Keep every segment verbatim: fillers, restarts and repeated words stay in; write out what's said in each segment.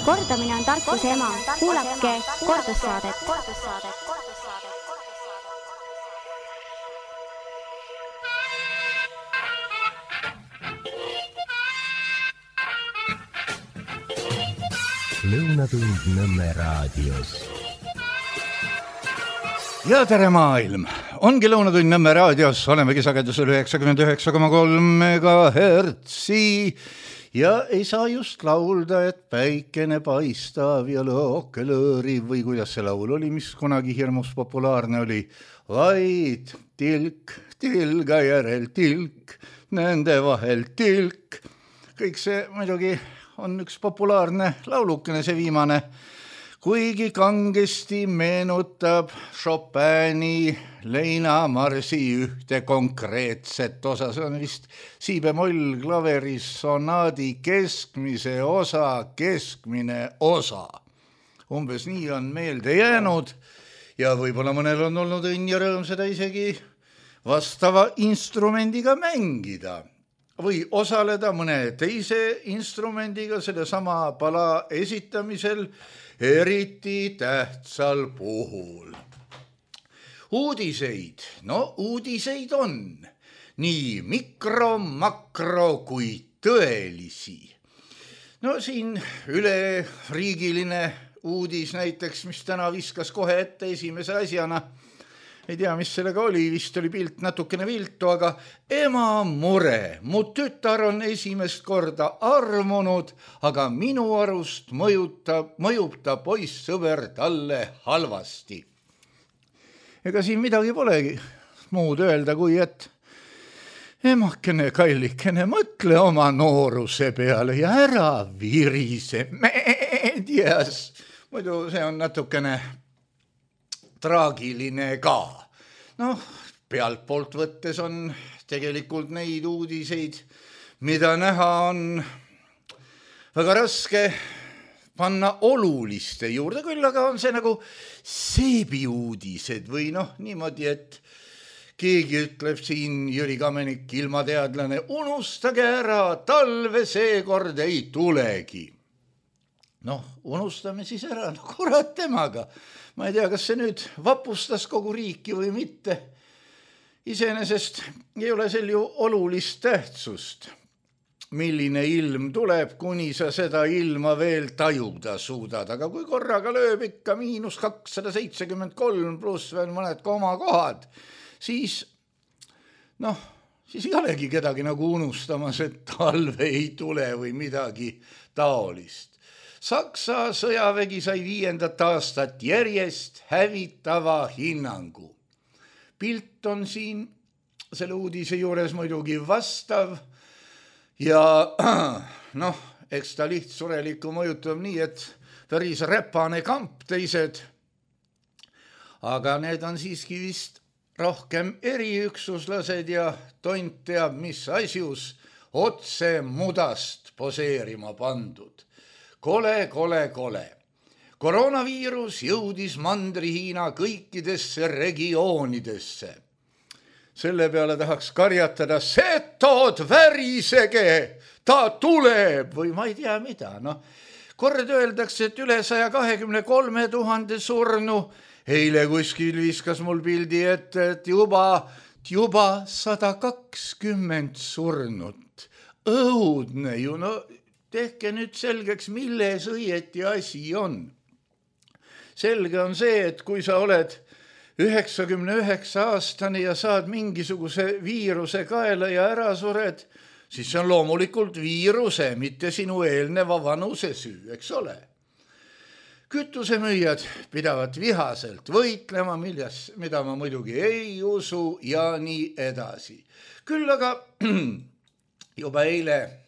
Kordamine on tarkuse ema. Kuulake kordussaadet. Lõunatund Nõmme raadios. Ja tere maailm! Ongi Lõunatund Nõmme raadios, olemegi sagedusel üheksakümmend üheksa koma kolm megahertsi ja ei saa just laulda, et päikene paistav ja lõoke lõõriv või kuidas see laul oli, mis kunagi hirmus populaarne oli, vaid tilk, tilga järel tilk, nende vahel tilk. Kõik see muidugi on üks populaarne laulukene, see viimane, kuigi kangesti meenutab Chopini leinamarsi ühte konkreetset osa. See on vist si-bemoll klaveris sonaadi keskmise osa, keskmine osa. Umbes nii on meelde jäänud ja võib-olla mõnel on olnud õnn ja rõõm seda isegi vastava instrumendiga mängida või osaleda mõne teise instrumendiga selle sama pala esitamisel eriti tähtsal puhul. Uudiseid, no uudiseid on nii mikro, makro kui tõelisi. No siin üleriigiline uudis näiteks, mis täna viskas kohe ette esimese asjana, ei tea, mis sellega oli, vist oli pilt natukene viltu, aga ema mure, mu tütar on esimest korda armunud, aga minu arust mõjutab, mõjub ta poissõber talle halvasti. Ega siin midagi polegi muud öelda, kui et emakene kallikene, mõtle oma nooruse peale ja ära virise meedias. Muidu see on natukene traagiline ka. Noh, pealt poolt võttes on tegelikult neid uudiseid, mida näha on väga raske panna oluliste juurde, küll aga on see nagu seebi uudised või noh, niimoodi, et keegi ütleb siin, Jüri Kamenik, ilmateadlane, unustage ära, talve seekord ei tulegi. Noh, unustame siis ära, no kurat temaga. Ma ei tea, kas see nüüd vapustas kogu riiki või mitte. Iseenesest ei ole sel ju olulist tähtsust, milline ilm tuleb, kuni sa seda ilma veel tajuda suudad. Aga kui korraga lööb ikka miinus kakssada seitsekümmend kolm pluss veel mõned komakohad, siis, noh, siis ei olegi kedagi nagu unustamas, et talve ei tule või midagi taolist. Saksa sõjavägi sai viiendat aastat järjest hävitava hinnangu. Pilt on siin selle uudise juures muidugi vastav ja noh, eks ta lihtsureliku mõjutab nii, et päris räpane kamp teised, aga need on siiski vist rohkem eriüksuslased ja tont teab, mis asjus otse mudast poseerima pandud. Kole, kole, kole. Koroonaviirus jõudis Mandri-Hiina kõikidesse regioonidesse. Selle peale tahaks karjatada, setod värisege, ta tuleb või ma ei tea mida. No, kord öeldakse, et üle saja kahekümne kolme tuhande surnu. Eile kuskil viskas mul pildi ette, et juba, juba sada kakskümmend surnut. Õudne ju, no tehke nüüd selgeks, milles õieti asi on. Selge on see, et kui sa oled üheksakümne üheksa aastane ja saad mingisuguse viiruse kaela ja ära sured, siis see on loomulikult viiruse, mitte sinu eelneva vanuse süü, eks ole. Kütusemüüjad pidavad vihaselt võitlema, milles, mida ma muidugi ei usu ja nii edasi. Küll aga juba eile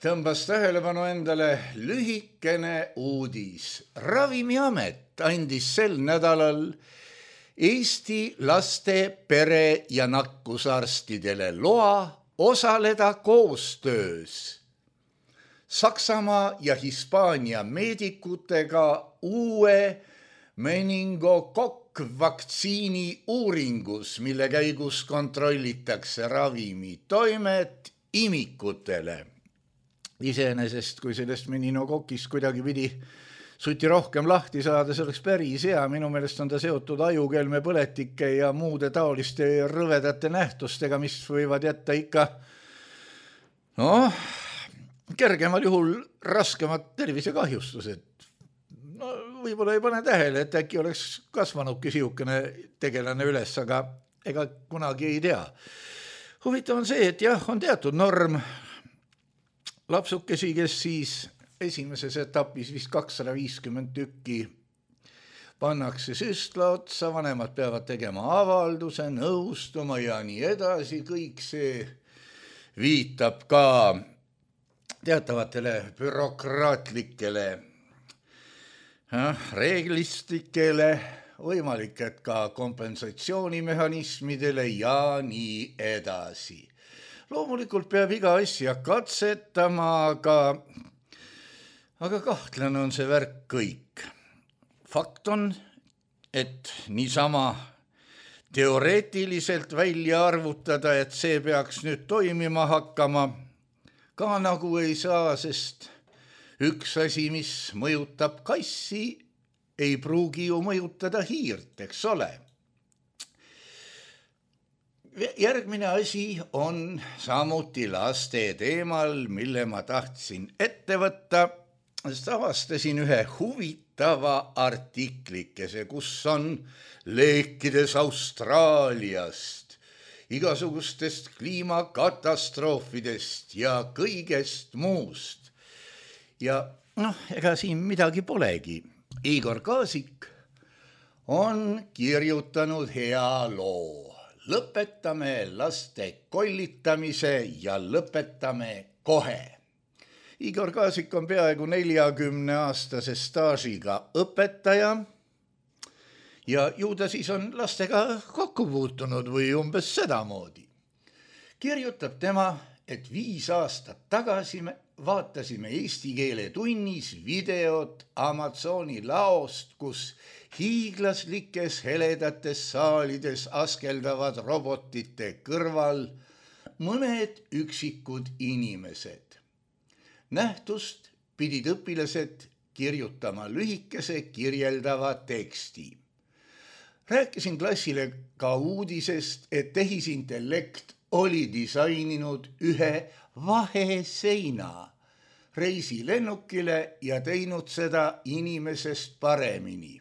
tõmbas tähelepanu endale lühikene uudis. Ravimiamet andis sel nädalal Eesti laste, pere ja nakkusarstidele loa osaleda koostöös Saksamaa ja Hispaania meedikutega uue meningokokk-vaktsiini uuringus, mille käigus kontrollitakse ravimi toimet imikutele. iseenesest, kui sellest meninokokist kuidagi pidi suti rohkem lahti saada, see oleks päris hea. Minu meelest on ta seotud ajukelme põletike ja muude taoliste rõvedate nähtustega, mis võivad jätta ikka noh, kergemal juhul raskemad tervisekahjustused. No, võib-olla ei pane tähele, et äkki oleks kasvanudki siukene tegelane üles, aga ega kunagi ei tea. Huvitav on see, et jah, on teatud norm lapsukesi, kes siis esimeses etapis vist kakssada viiskümmend tükki pannakse süstla otsa, vanemad peavad tegema avalduse, nõustuma ja nii edasi. Kõik see viitab ka teatavatele bürokraatlikele reeglistikele, võimalik, et ka kompensatsioonimehhanismidele ja nii edasi. Loomulikult peab iga asja katsetama, aga, aga kahtlane on see värk kõik. Fakt on, et niisama teoreetiliselt välja arvutada, et see peaks nüüd toimima hakkama, ka nagu ei saa, sest üks asi, mis mõjutab kassi, ei pruugi ju mõjutada hiirt, eks ole. Järgmine asi on samuti laste teemal, mille ma tahtsin ette võtta. Avastasin ühe huvitava artiklikese, kus on leekides Austraaliast, igasugustest kliimakatastroofidest ja kõigest muust. Ja noh, ega siin midagi polegi. Igor Kaasik on kirjutanud hea loo. Lõpetame laste kollitamise ja lõpetame kohe. Igor Kaasik on peaaegu neljakümne aastase staažiga õpetaja ja ju ta siis on lastega kokku puutunud või umbes sedamoodi. Kirjutab tema, et viis aastat tagasi me vaatasime eesti keele tunnis videot Amazoni laost, kus hiiglaslikes heledates saalides askeldavad robotite kõrval mõned üksikud inimesed. Nähtust pidid õpilased kirjutama lühikese kirjeldava teksti. Rääkisin klassile ka uudisest, et tehisintellekt oli disaininud ühe vaheseina reisilennukile ja teinud seda inimesest paremini.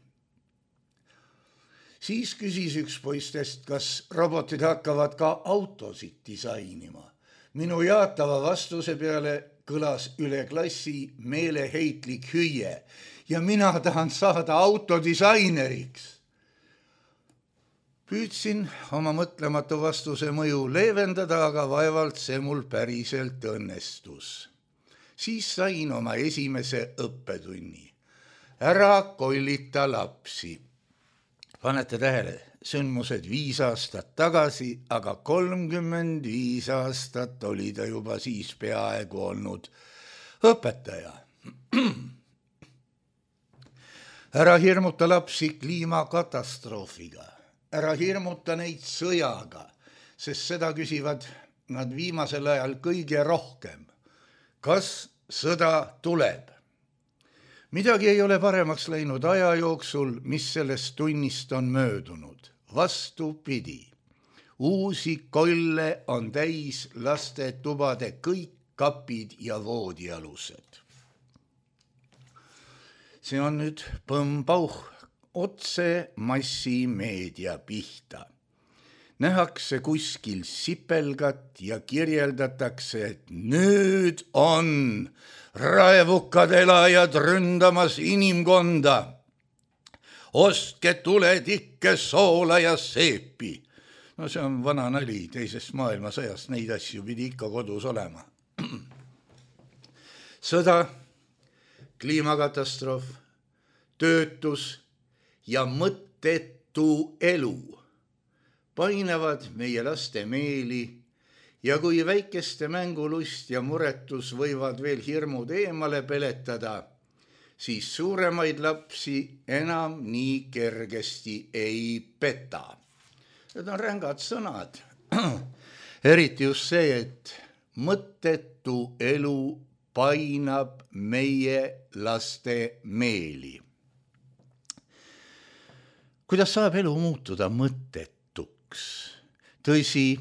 Siis küsis üks poistest, kas robotid hakkavad ka autosid disainima. Minu jaatava vastuse peale kõlas üle klassi meeleheitlik hüüe ja mina tahan saada autodisaineriks. Püüdsin oma mõtlematu vastuse mõju leevendada, aga vaevalt see mul päriselt õnnestus. Siis sain oma esimese õppetunni. Ära kollita lapsi. Panete tähele, sündmused viis aastat tagasi, aga kolmkümmend viis aastat oli ta juba siis peaaegu olnud õpetaja. Ära hirmuta lapsi kliimakatastroofiga. Ära hirmuta neid sõjaga, sest seda küsivad nad viimasel ajal kõige rohkem. Kas sõda tuleb? Midagi ei ole paremaks läinud aja jooksul, mis sellest tunnist on möödunud. Vastupidi, uusi kolle on täis laste tubade kõik kapid ja voodialused. See on nüüd põmpauh otse massimeedia pihta. Nähakse kuskil sipelgat ja kirjeldatakse, et nüüd on raevukad elajad ründamas inimkonda. Ostke tuletikke, soola ja seepi. No see on vana nali teisest maailmasõjast, neid asju pidi ikka kodus olema. Sõda, kliimakatastroof, töötus ja mõttetu elu painavad meie laste meeli ja kui väikeste mängulust ja muretus võivad veel hirmud eemale peletada, siis suuremaid lapsi enam nii kergesti ei peta. Need on rängad sõnad. Eriti just see, et mõttetu elu painab meie laste meeli. Kuidas saab elu muutuda mõttetuks? Tõsi,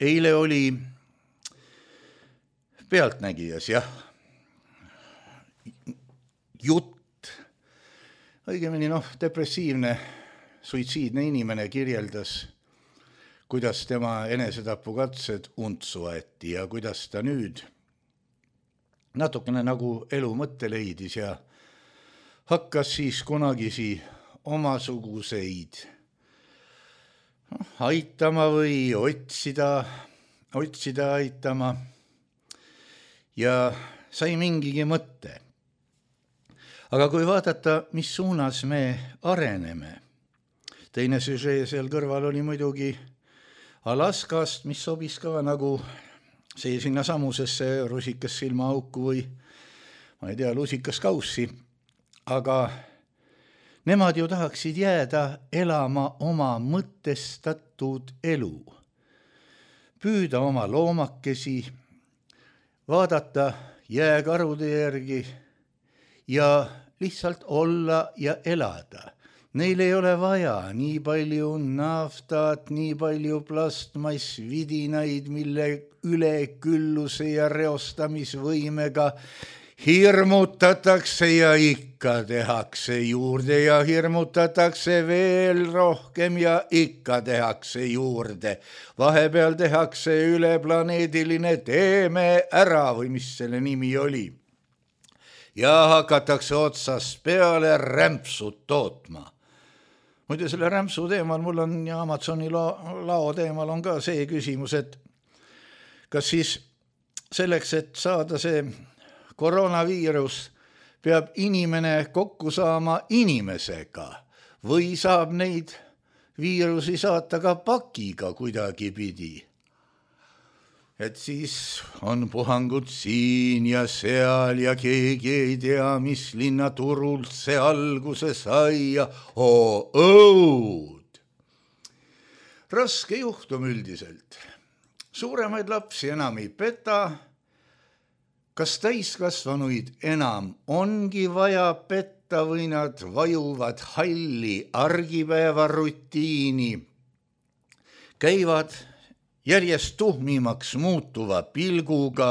eile oli Pealtnägijas, jah, jutt, õigemini noh, depressiivne, suitsiidne inimene kirjeldas, kuidas tema enesetapukatsed untsu aeti ja kuidas ta nüüd natukene nagu elu mõtte leidis ja hakkas siis kunagisi omasuguseid aitama või otsida, otsida aitama ja sai mingigi mõtte. Aga kui vaadata, mis suunas me areneme, teine süžee seal kõrval oli muidugi Alaskast, mis sobis ka nagu see sinna samusesse rusikas silmaauku või ma ei tea, lusikas kaussi, aga nemad ju tahaksid jääda elama oma mõtestatud elu, püüda oma loomakesi, vaadata jääkarude järgi ja lihtsalt olla ja elada. Neil ei ole vaja nii palju naftat, nii palju plastmassvidinaid, mille ülekülluse ja reostamisvõimega hirmutatakse ja ikka tehakse juurde ja hirmutatakse veel rohkem ja ikka tehakse juurde. Vahepeal tehakse üleplaneediline teeme ära või mis selle nimi oli. Ja hakatakse otsast peale rämpsud tootma. Muide selle rämpsu teemal, mul on ja Amazoni lao, lao teemal on ka see küsimus, et kas siis selleks, et saada see koroonaviirus, peab inimene kokku saama inimesega või saab neid viirusi saata ka pakiga kuidagi pidi. Et siis on puhangud siin ja seal ja keegi ei tea, mis linnaturult see alguse sai ja oo õud. Raske juhtum üldiselt. Suuremaid lapsi enam ei peta. Kas täiskasvanuid enam ongi vaja petta või nad vajuvad halli argipäeva rutiini? Käivad järjest tuhmimaks muutuva pilguga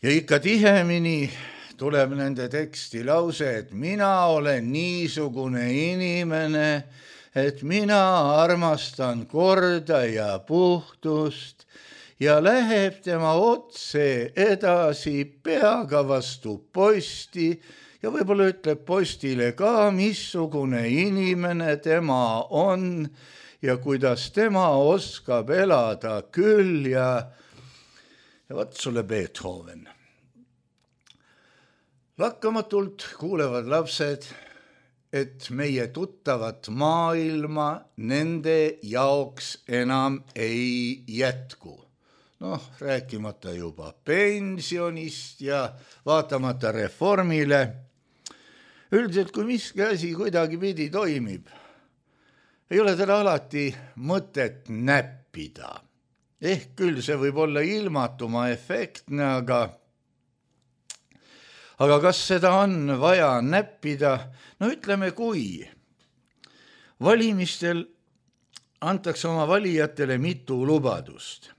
ja ikka tihemini tuleb nende teksti lause, et mina olen niisugune inimene, et mina armastan korda ja puhtust ja läheb tema otse edasi peaga vastu posti ja võib-olla ütleb postile ka, missugune inimene tema on ja kuidas tema oskab elada küll ja, ja võt sulle Beethoven. Lakkamatult kuulevad lapsed, et meie tuttavat maailma nende jaoks enam ei jätku. Noh, rääkimata juba pensionist ja vaatamata reformile. Üldiselt, kui miski asi kuidagi pidi toimib, ei ole teda alati mõtet näppida. Ehk küll see võib olla ilmatuma efektne, aga, aga kas seda on vaja näppida? No ütleme, kui valimistel antakse oma valijatele mitu lubadust.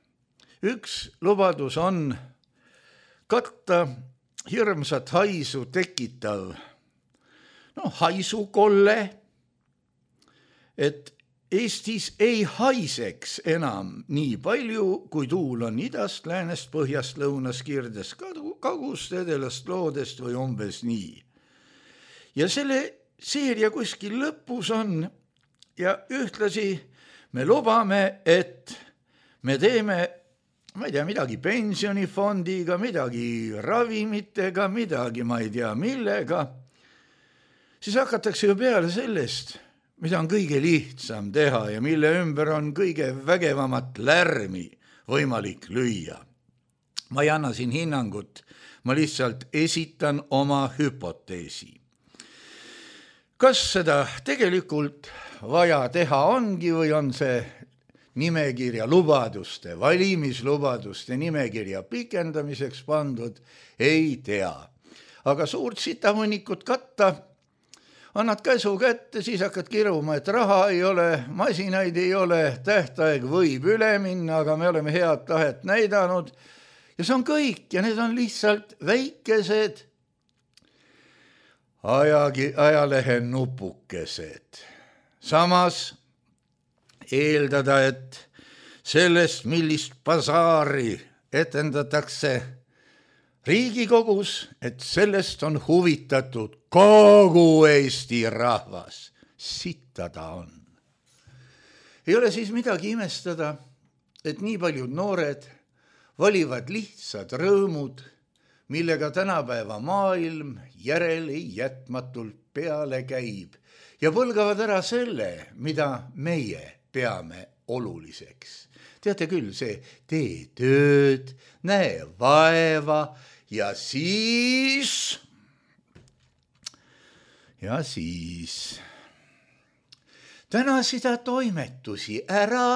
Üks lubadus on katta hirmsat haisu tekitav no, haisukolle, et Eestis ei haiseks enam nii palju, kui tuul on idast, läänest, põhjast, lõunast, kirdest, kagust, edelast, loodest või umbes nii. Ja selle seeria kuskil lõpus on ja ühtlasi me lubame, et me teeme, ma ei tea, midagi pensionifondiga, midagi ravimitega, midagi ma ei tea millega, siis hakatakse ju peale sellest, mida on kõige lihtsam teha ja mille ümber on kõige vägevamat lärmi võimalik lüüa. Ma ei anna siin hinnangut, ma lihtsalt esitan oma hüpoteesi. Kas seda tegelikult vaja teha ongi või on see nimekirja lubaduste, valimislubaduste nimekirja pikendamiseks pandud, ei tea. Aga suurt sitamõnikut katta, annad käsu kätte, siis hakkad kiruma, et raha ei ole, masinaid ei ole, tähtaeg võib üle minna, aga me oleme head tahet näidanud. Ja see on kõik ja need on lihtsalt väikesed ajagi, ajalehe nupukesed. Samas eeldada, et sellest, millist basaari etendatakse Riigikogus, et sellest on huvitatud kogu Eesti rahvas. Sitta ta on. Ei ole siis midagi imestada, et nii paljud noored valivad lihtsad rõõmud, millega tänapäeva maailm järele jätmatult peale käib ja põlgavad ära selle, mida meie peame oluliseks. Teate küll, see tee tööd, näe vaeva ja siis, ja siis täna seda toimetusi ära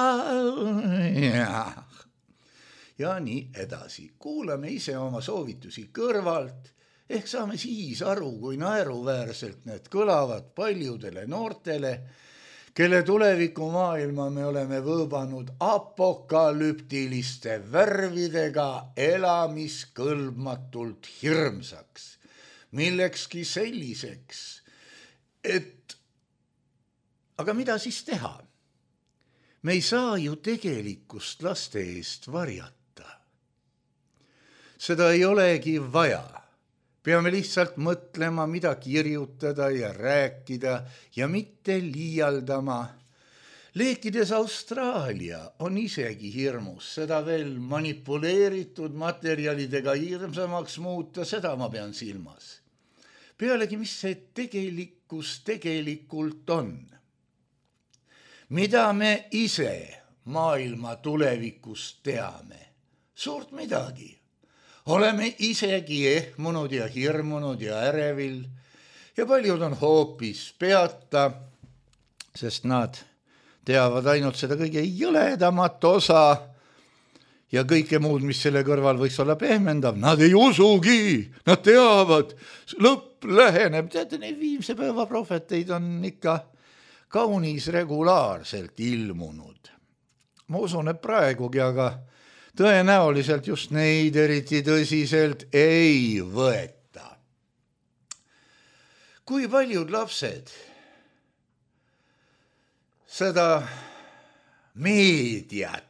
ja, ja nii edasi. Kuulame ise oma soovitusi kõrvalt, ehk saame siis aru, kui naeruväärselt need kõlavad paljudele noortele, kelle tulevikumaailma me oleme võõbanud apokalüptiliste värvidega elamiskõlbmatult hirmsaks, millekski selliseks, et aga mida siis teha? Me ei saa ju tegelikkust laste eest varjata. Seda ei olegi vaja. Peame lihtsalt mõtlema, mida kirjutada ja rääkida ja mitte liialdama. Leekides Austraalia on isegi hirmus, seda veel manipuleeritud materjalidega hirmsamaks muuta, seda ma pean silmas. Pealegi, mis see tegelikkus tegelikult on? Mida me ise maailma tulevikust teame? Suurt midagi. Oleme isegi ehmunud ja hirmunud ja ärevil ja paljud on hoopis peata, sest nad teavad ainult seda kõige jõledamat osa ja kõike muud, mis selle kõrval võiks olla pehmendav. Nad ei usugi, nad teavad, lõpp läheneb. Teate, neid viimse päeva prohveteid on ikka kaunis regulaarselt ilmunud. Ma usun, et praegugi, aga tõenäoliselt just neid eriti tõsiselt ei võeta. Kui paljud lapsed seda meediat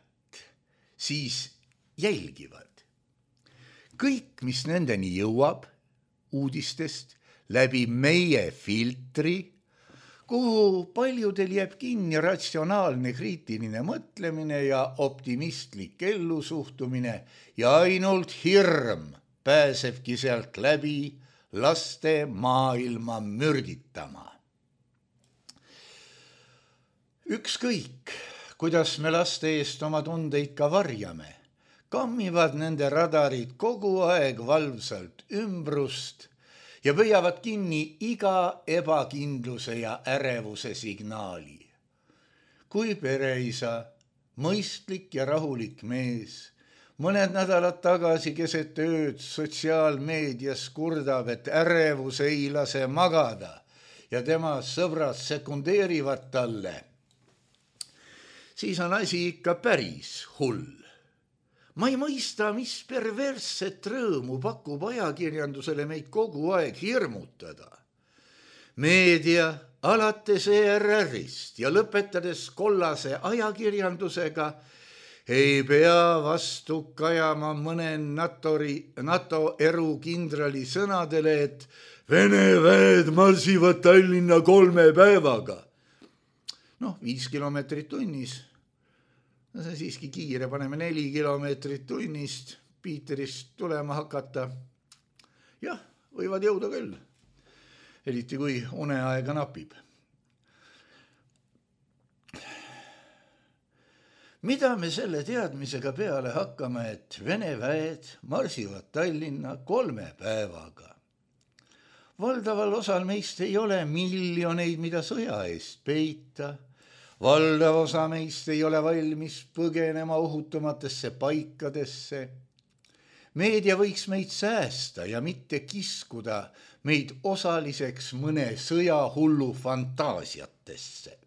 siis jälgivad? Kõik, mis nendeni jõuab uudistest läbi meie filtri, kuhu paljudel jääb kinni ratsionaalne kriitiline mõtlemine ja optimistlik ellusuhtumine ja ainult hirm pääsebki sealt läbi laste maailma mürditama. Ükskõik, kuidas me laste eest oma tundeid ka varjame, kammivad nende radarid kogu aeg valvsalt ümbrust ja pöiavad kinni iga ebakindluse ja ärevuse signaali. Kui pereisa, mõistlik ja rahulik mees, mõned nädalad tagasi keset ööd sotsiaalmeedias kurdab, et ärevus ei lase magada ja tema sõbrad sekundeerivad talle, siis on asi ikka päris hull. Ma ei mõista, mis perversset rõõmu pakub ajakirjandusele meid kogu aeg hirmutada. Meedia alates E R R-ist ja lõpetades kollase ajakirjandusega ei pea vastu kajama mõne Natori, NATO erukindrali sõnadele, et Vene väed marsivad Tallinna kolme päevaga. Noh, viis kilomeetrit tunnis. No see siiski kiire, paneme neli kilomeetrit tunnist Piiterist tulema hakata. Jah, võivad jõuda küll, eriti kui uneaega napib. Mida me selle teadmisega peale hakkame, et Vene väed marsivad Tallinna kolme päevaga? Valdaval osal meist ei ole miljoneid, mida sõja eest peita. valdav osa meist ei ole valmis põgenema ohutumatesse paikadesse. Meedia võiks meid säästa ja mitte kiskuda meid osaliseks mõne sõjahullu fantaasiatesse.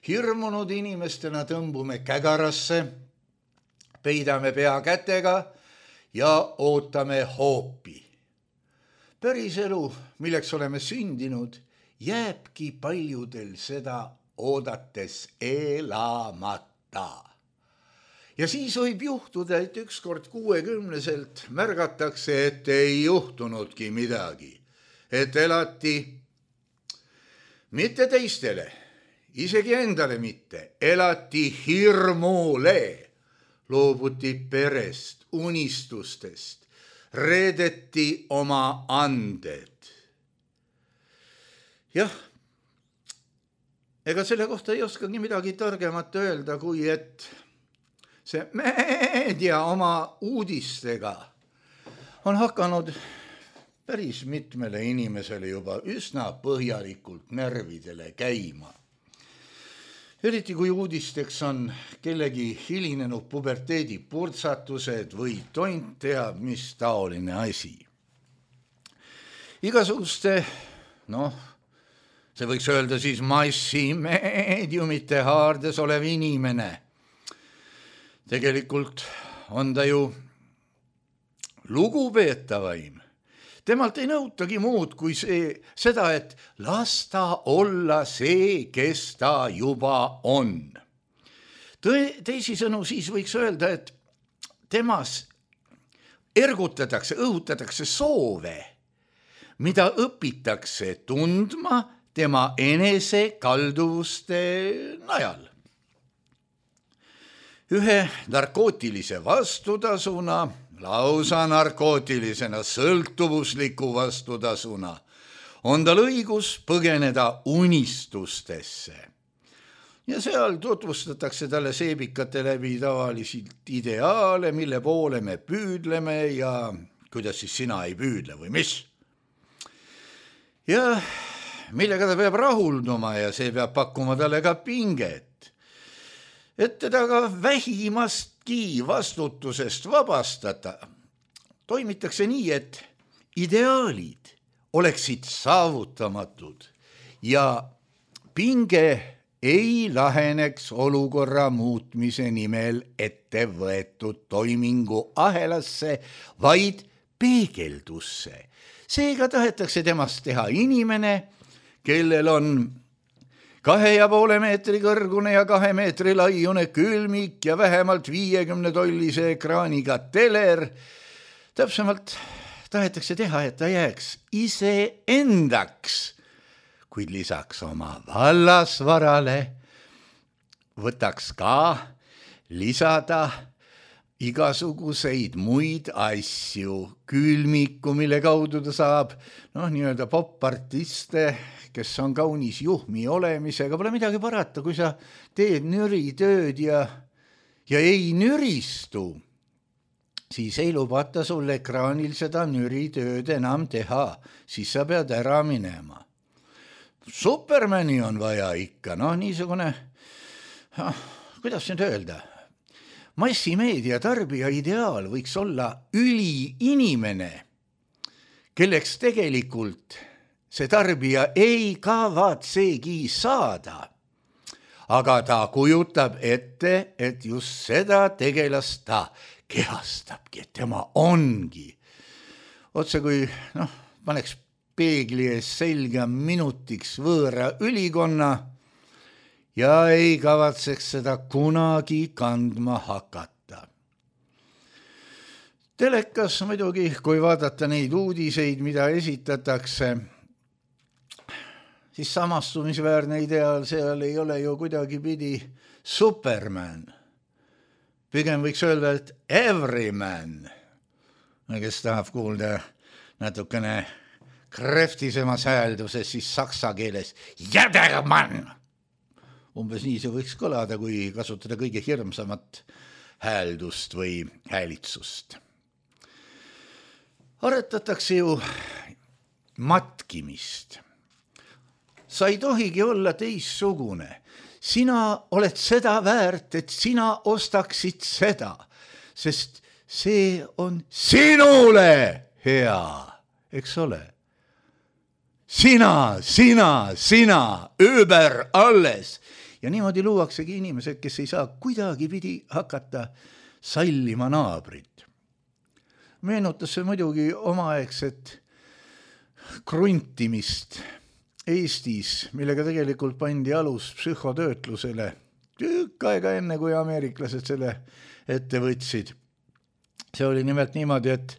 Hirmunud inimestena tõmbume kägarasse, peidame pea kätega ja ootame hoopi. Päris elu, milleks oleme sündinud, jääbki paljudel seda oodates elamata. Ja siis võib juhtuda, et ükskord kuuekümneselt märgatakse, et ei juhtunudki midagi. Et elati mitte teistele, isegi endale mitte, elati hirmule, loobuti perest, unistustest, reedeti oma anded. Jah, ega selle kohta ei oskagi midagi targemat öelda, kui et see meedia oma uudistega on hakanud päris mitmele inimesele juba üsna põhjalikult närvidele käima. Eriti kui uudisteks on kellegi hilinenud puberteedi purtsatused või tont teab, mis taoline asi. Igasuguste, noh, see võiks öelda siis massimeediumite haardes olev inimene. Tegelikult on ta ju lugupeetavaim. Temalt ei nõutagi muud kui see, seda, et las ta olla see, kes ta juba on. Tõe, teisisõnu siis võiks öelda, et temas ergutatakse, õhutatakse soove, mida õpitakse tundma tema enese kalduvuste najal. Ühe narkootilise vastutasuna, lausa narkootilisena sõltuvusliku vastutasuna, on tal õigus põgeneda unistustesse. Ja seal tutvustatakse talle seebikate läbi tavaliselt ideaale, mille poole me püüdleme ja kuidas siis sina ei püüdle või mis. Ja millega ta peab rahulduma ja see peab pakkuma talle ka pinget. Et teda ka vähimastki vastutusest vabastada, toimitakse nii, et ideaalid oleksid saavutamatud ja pinge ei laheneks olukorra muutmise nimel ette võetud toimingu ahelasse, vaid peegeldusse. Seega tahetakse temast teha inimene, kellel on kahe ja poole meetri kõrgune ja kahe meetri laiune külmik ja vähemalt viiekümne tollise ekraaniga teler. Täpsemalt tahetakse teha, et ta jääks iseendaks, kuid lisaks oma vallasvarale võtaks ka lisada igasuguseid muid asju, külmiku, mille kaudu ta saab, noh, nii-öelda popartiste, kes on kaunis juhmi olemisega, pole midagi parata, kui sa teed nüritööd ja, ja ei nüristu, siis ei lubata sul ekraanil seda nüritööd enam teha, siis sa pead ära minema. Supermani on vaja ikka, noh, niisugune, kuidas nüüd öelda, massimeedia tarbija ideaal võiks olla üliinimene, kelleks tegelikult see tarbija ei kavatsegi saada, aga ta kujutab ette, et just seda tegelast ta kehastabki, et tema ongi. Otse kui, noh, paneks peegli ees selga minutiks võõra ülikonna ja ei kavatseks seda kunagi kandma hakata. Telekas muidugi, kui vaadata neid uudiseid, mida esitatakse, siis samastumisväärne ideaal seal ei ole ju kuidagi pidi Superman. Pigem võiks öelda, et everyman, kes tahab kuulda natukene kreftisemas häälduses, siis saksa keeles jädermann. Umbes nii see võiks kõlada, kui kasutada kõige hirmsamat hääldust või häälitsust. Aretatakse ju matkimist. Sa ei tohigi olla teissugune. sina oled seda väärt, et sina ostaksid seda, sest see on sinule hea, eks ole. Sina, sina, sina, über alles. Ja niimoodi luuaksegi inimesed, kes ei saa kuidagi pidi hakata sallima naabrit. Meenutas see muidugi omaaegset kruntimist Eestis, millega tegelikult pandi alus psühhotöötlusele tükk aega enne, kui ameeriklased selle ette võtsid. See oli nimelt niimoodi, et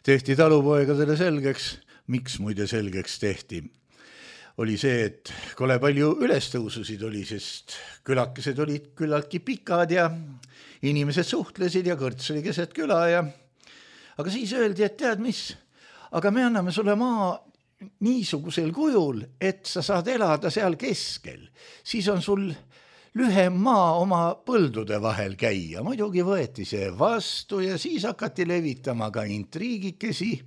tehti talupoegadele selgeks, miks muide selgeks tehti. Oli see, et kole palju ülestõususid oli, sest külakesed olid küllaltki pikad ja inimesed suhtlesid ja kõrts oli keset küla. Ja... Aga siis öeldi, et tead mis, aga me anname sulle maa niisugusel kujul, et sa saad elada seal keskel. Siis on sul lühem maa oma põldude vahel käia. Muidugi võeti see vastu ja siis hakati levitama ka intriigikesi,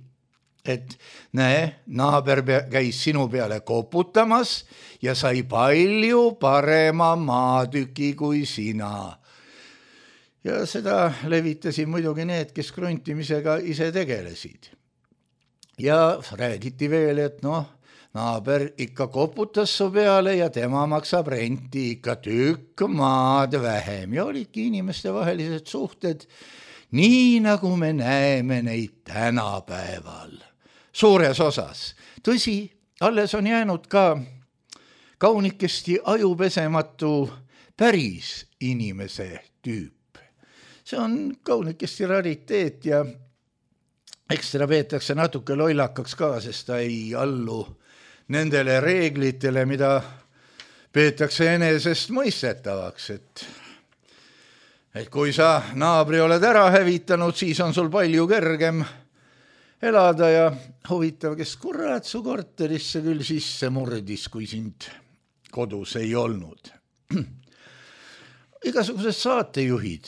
et näe, naaber käis sinu peale koputamas ja sai palju parema maatüki kui sina. Ja seda levitasid muidugi need, kes kruntimisega ise tegelesid. Ja räägiti veel, et noh, naaber ikka koputas su peale ja tema maksab renti ikka tükk maad vähem. Ja olidki inimeste vahelised suhted nii, nagu me näeme neid tänapäeval. Suures osas. Tõsi, alles on jäänud ka kaunikesti ajupesematu päris inimese tüüp. See on kaunikesti rariteet ja eks teda peetakse natuke lollakaks ka, sest ta ei allu nendele reeglitele, mida peetakse enesest mõistetavaks, et, et kui sa naabri oled ära hävitanud, siis on sul palju kergem elada ja huvitav, kes kurat su korterisse küll sisse murdis, kui sind kodus ei olnud. Igasugused saatejuhid,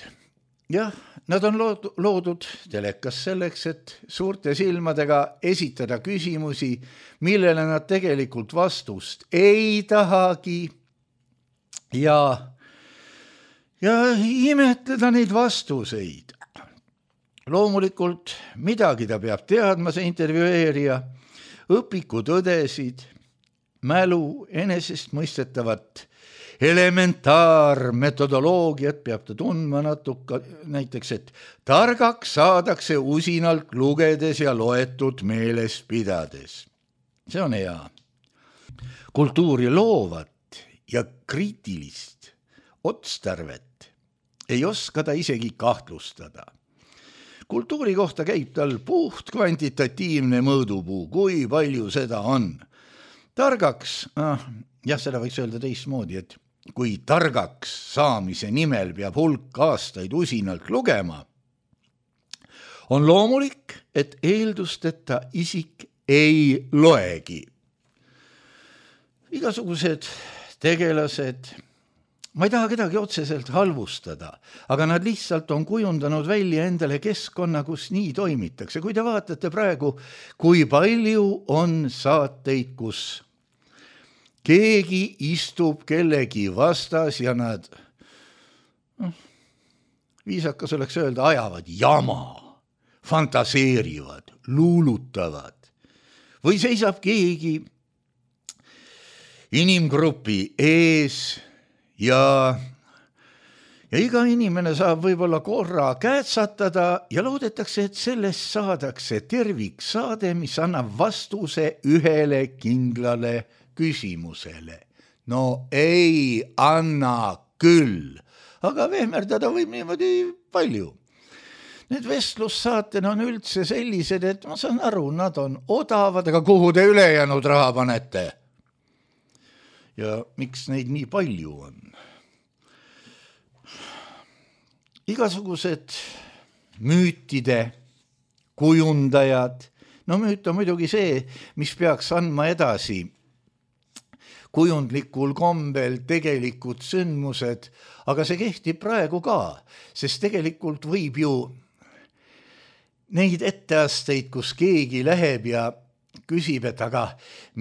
jah, nad on loodud telekas selleks, et suurte silmadega esitada küsimusi, millele nad tegelikult vastust ei tahagi ja, ja imetleda neid vastuseid. Loomulikult midagi ta peab teadma, see intervjueerija, õpikutõdesid, mälu, enesest mõistetavat elementaarmetodoloogiat peab ta tundma natuke, näiteks, et targaks saadakse usinalt lugedes ja loetud meeles pidades. See on hea. Kultuuri loovat ja kriitilist otstarvet ei oska ta isegi kahtlustada. Kultuuri kohta käib tal puht kvantitatiivne mõõdupuu, kui palju seda on. Targaks, ah, jah, seda võiks öelda teistmoodi, et kui targaks saamise nimel peab hulk aastaid usinalt lugema, on loomulik, et eeldusteta isik ei loegi. Igasugused tegelased, ma ei taha kedagi otseselt halvustada, aga nad lihtsalt on kujundanud välja endale keskkonna, kus nii toimitakse. Kui te vaatate praegu, kui palju on saateid, kus keegi istub kellegi vastas ja nad, no, viisakas oleks öelda, ajavad jama, fantaseerivad, luulutavad. Või seisab keegi inimgrupi ees ja, ja iga inimene saab võib-olla korra käätsatada ja loodetakse, et sellest saadakse terviksaade, mis annab vastuse ühele kindlale küsimusele. No ei anna küll, aga vehmerdada võib niimoodi palju. Need vestlussaatena on üldse sellised, et ma saan aru, nad on odavad, aga kuhu te ülejäänud raha panete? Ja miks neid nii palju on? Igasugused müütide kujundajad, no müüt on muidugi see, mis peaks andma edasi kujundlikul kombel tegelikud sündmused, aga see kehtib praegu ka, sest tegelikult võib ju neid etteasteid, kus keegi läheb ja küsib, et aga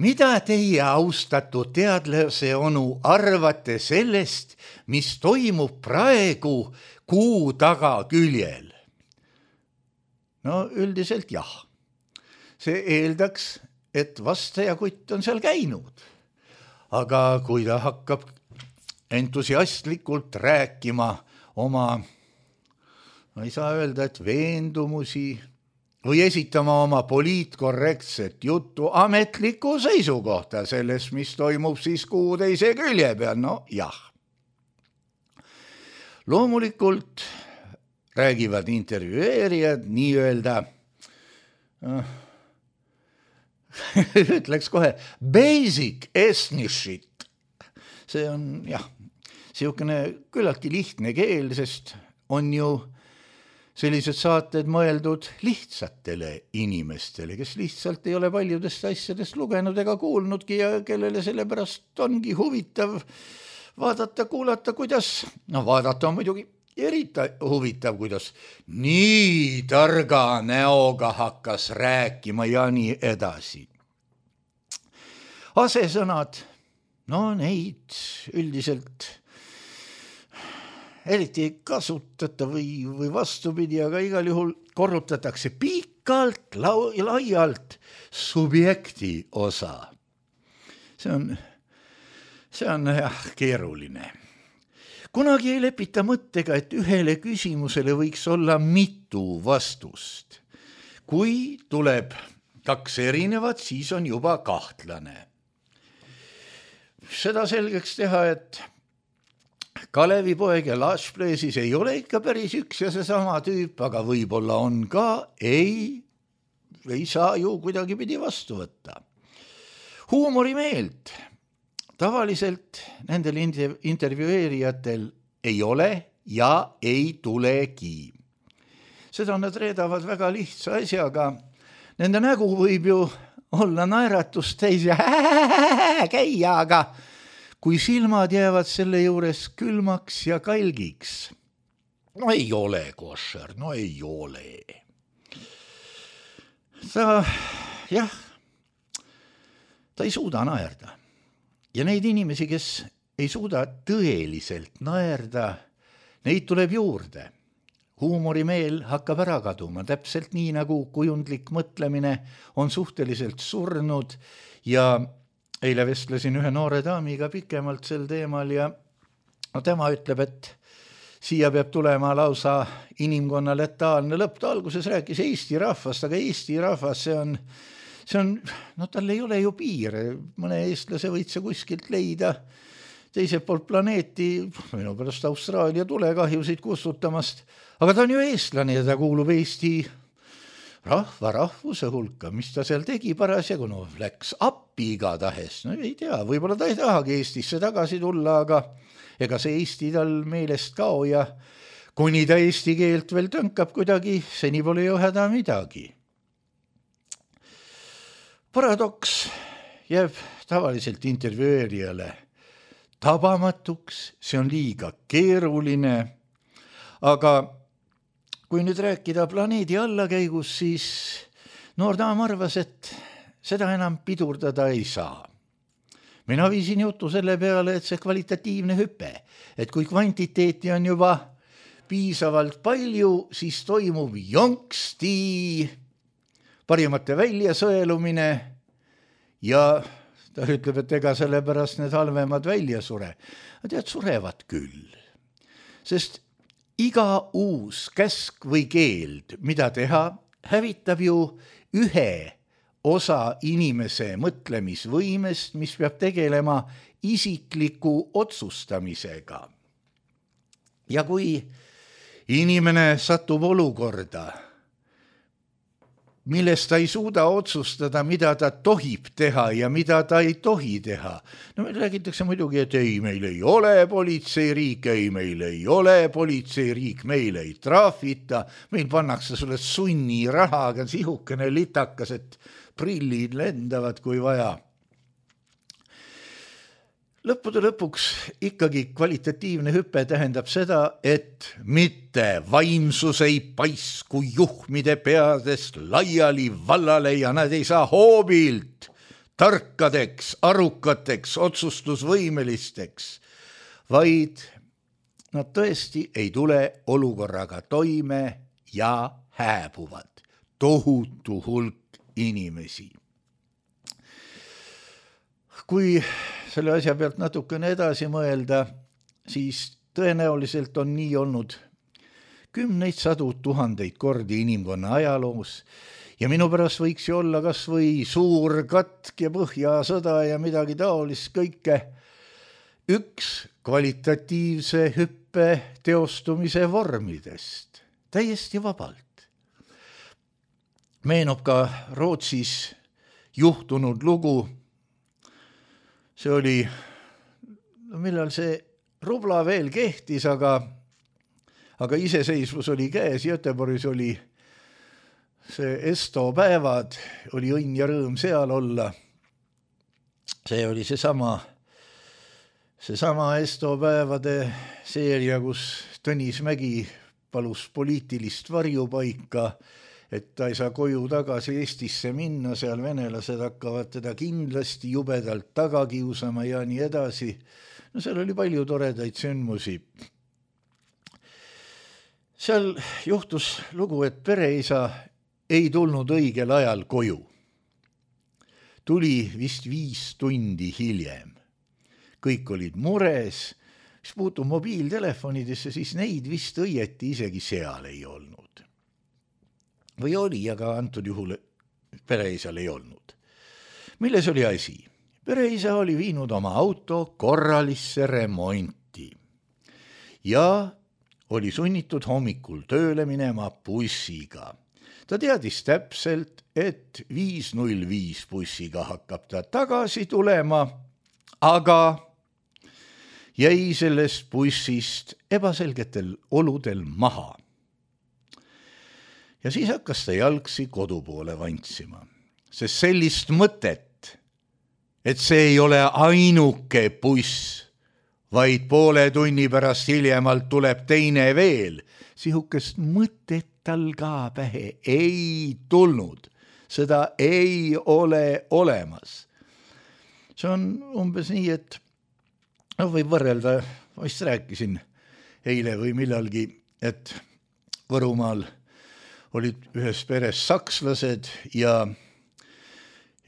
mida teie, austatud teadlase onu, arvate sellest, mis toimub praegu Kuu tagaküljel? No üldiselt jah. See eeldaks, et vastajakutt on seal käinud. Aga kui ta hakkab entusiastlikult rääkima oma, ma ei saa öelda, et veendumusi või esitama oma poliitkorrektset juttu ametlikku seisukohta sellest, mis toimub siis Kuu teise külje peal, no jah. Loomulikult räägivad intervjueerijad nii-öelda, ütleks kohe, basic ethnicshit. See on, jah, siukene küllaltki lihtne keel, sest on ju sellised saated mõeldud lihtsatele inimestele, kes lihtsalt ei ole paljudest asjadest lugenud ega kuulnudki ja kellele sellepärast ongi huvitav vaadata, kuulata, kuidas, no vaadata on muidugi eriti huvitav, kuidas nii targa näoga hakkas rääkima ja nii edasi. Asesõnad, no neid üldiselt eriti ei kasutata või, või vastupidi, aga igal juhul korrutatakse pikalt, lau, laialt subjekti osa. See on, see on jah, keeruline. Kunagi ei lepita mõttega, et ühele küsimusele võiks olla mitu vastust. Kui tuleb kaks erinevat, siis on juba kahtlane. Seda selgeks teha, et Kalevipoeg ja Lashpleesis ei ole ikka päris üks ja seesama tüüp, aga võib-olla on ka, ei, ei saa ju kuidagi pidi vastu võtta. Huumorimeelt tavaliselt nendel intervjueerijatel ei ole ja ei tulegi. Seda nad reedavad väga lihtsa asjaga. Nende nägu võib ju olla naeratust täis ja käia, aga kui silmad jäävad selle juures külmaks ja kalgiks, no ei ole košer, no ei ole. Ta, jah, ta ei suuda naerda. Ja neid inimesi, kes ei suuda tõeliselt naerda, neid tuleb juurde. Huumorimeel hakkab ära kaduma, täpselt nii nagu kujundlik mõtlemine on suhteliselt surnud ja eile vestlesin ühe noore daamiga pikemalt sel teemal ja no, tema ütleb, et siia peab tulema lausa inimkonna letaalne lõpp. Ta alguses rääkis Eesti rahvast, aga Eesti rahvas, see on, see on, no tal ei ole ju piire. Mõne eestlase võid see kuskilt leida teiselt poolt planeeti, minu pärast Austraalia tulekahjusid kustutamast, aga ta on ju eestlane ja ta kuulub Eesti rahva rahvuse hulka, mis ta seal tegi parasjagu, no läks appi igatahes, no ei tea, võib-olla ta ei tahagi Eestisse tagasi tulla, aga ega see Eesti tal meelest kao ja kuni ta eesti keelt veel tõnkab kuidagi, seni pole ju häda midagi. Paradoks jääb tavaliselt intervjueerijale tabamatuks, see on liiga keeruline, aga kui nüüd rääkida planeedi allakäigus, siis noor daam arvas, et seda enam pidurdada ei saa. Mina viisin jutu selle peale, et see kvalitatiivne hüpe, et kui kvantiteeti on juba piisavalt palju, siis toimub jonksti parimate väljasõelumine ja ta ütleb, et ega sellepärast need halvemad välja sure. Tead, surevad küll, sest iga uus käsk või keeld, mida teha, hävitab ju ühe osa inimese mõtlemisvõimest, mis peab tegelema isikliku otsustamisega. Ja kui inimene satub olukorda, millest ta ei suuda otsustada, mida ta tohib teha ja mida ta ei tohi teha. No meil räägitakse muidugi, et ei, meil ei ole politseiriik, ei, meil ei ole politseiriik, meil ei traafita, meil pannakse sulle sunni rahaga sihukene litakas, et prillid lendavad kui vaja. lõppude lõpuks ikkagi kvalitatiivne hüpe tähendab seda, et mitte vaimsus ei paisku juhmide peadest laiali vallale ja nad ei saa hoobilt tarkadeks, arukateks, otsustusvõimelisteks, vaid nad tõesti ei tule olukorraga toime ja hääbuvad. Tohutu hulk inimesi. Kui selle asja pealt natukene edasi mõelda, siis tõenäoliselt on nii olnud kümneid sadu tuhandeid kordi inimkonna ajaloos ja minu pärast võiks ju olla kas või suur katk ja põhjasõda ja midagi taolist kõike üks kvalitatiivse hüppe teostumise vormidest, täiesti vabalt. Meenub ka Rootsis juhtunud lugu. See oli, millal see rubla veel kehtis, aga, aga iseseisvus oli käes, Göteborgis oli see Esto päevad, oli õnn ja rõõm seal olla. See oli see sama, see sama Esto päevade seeria, kus Tõnis Mägi palus poliitilist varjupaika, et ta ei saa koju tagasi Eestisse minna, seal venelased hakkavad teda kindlasti jubedalt taga kiusama ja nii edasi. No seal oli palju toredaid sündmusi. Seal juhtus lugu, et pereisa ei tulnud õigel ajal koju. Tuli vist viis tundi hiljem. Kõik olid mures. Mis puutub mobiiltelefonidesse, siis neid vist õieti isegi seal ei olnud. Või oli, aga antud juhul pereisal ei olnud. Milles oli asi? Pereisa oli viinud oma auto korralisse remonti ja oli sunnitud hommikul tööle minema bussiga. Ta teadis täpselt, et viis null viis bussiga hakkab ta tagasi tulema, aga jäi sellest bussist ebaselgetel oludel maha. Ja siis hakkas ta jalgsi kodu poole vantsima, sest sellist mõtet, et see ei ole ainuke buss, vaid poole tunni pärast hiljemalt tuleb teine veel, sihukest mõtet tal ka pähe ei tulnud. Seda ei ole olemas. See on umbes nii, et no võib võrrelda, ma vist rääkisin eile või millalgi, et Võrumaal olid ühes peres sakslased ja,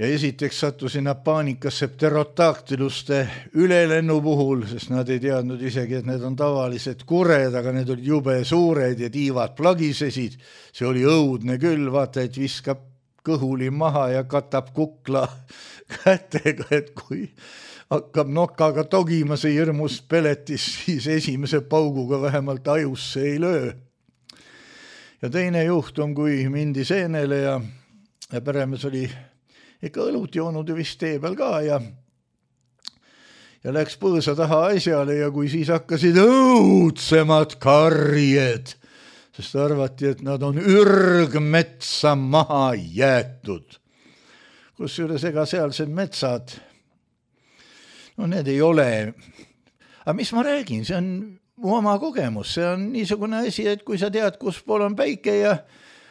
ja esiteks sattusid nad paanikasse pterodaktiluste ülelennu puhul, sest nad ei teadnud isegi, et need on tavalised kured, aga need olid jube suured ja tiivad plagisesid. See oli õudne küll, vaata, et viskab kõhuli maha ja katab kukla kätega, et kui hakkab nokaga togima see hirmus peletis, siis esimese pauguga vähemalt ajusse ei löö. Ja teine juhtum, kui mindi seenele ja, ja peremees oli ikka õlut joonud ja vist tee peal ka ja, ja läks põõsa taha asjale ja kui siis hakkasid õudsemad karjed, sest arvati, et nad on ürgmetsa maha jäetud. Kusjuures ega sealsed metsad, no need ei ole, aga mis ma räägin, see on mu oma kogemus, see on niisugune asi, et kui sa tead, kus pool on päike ja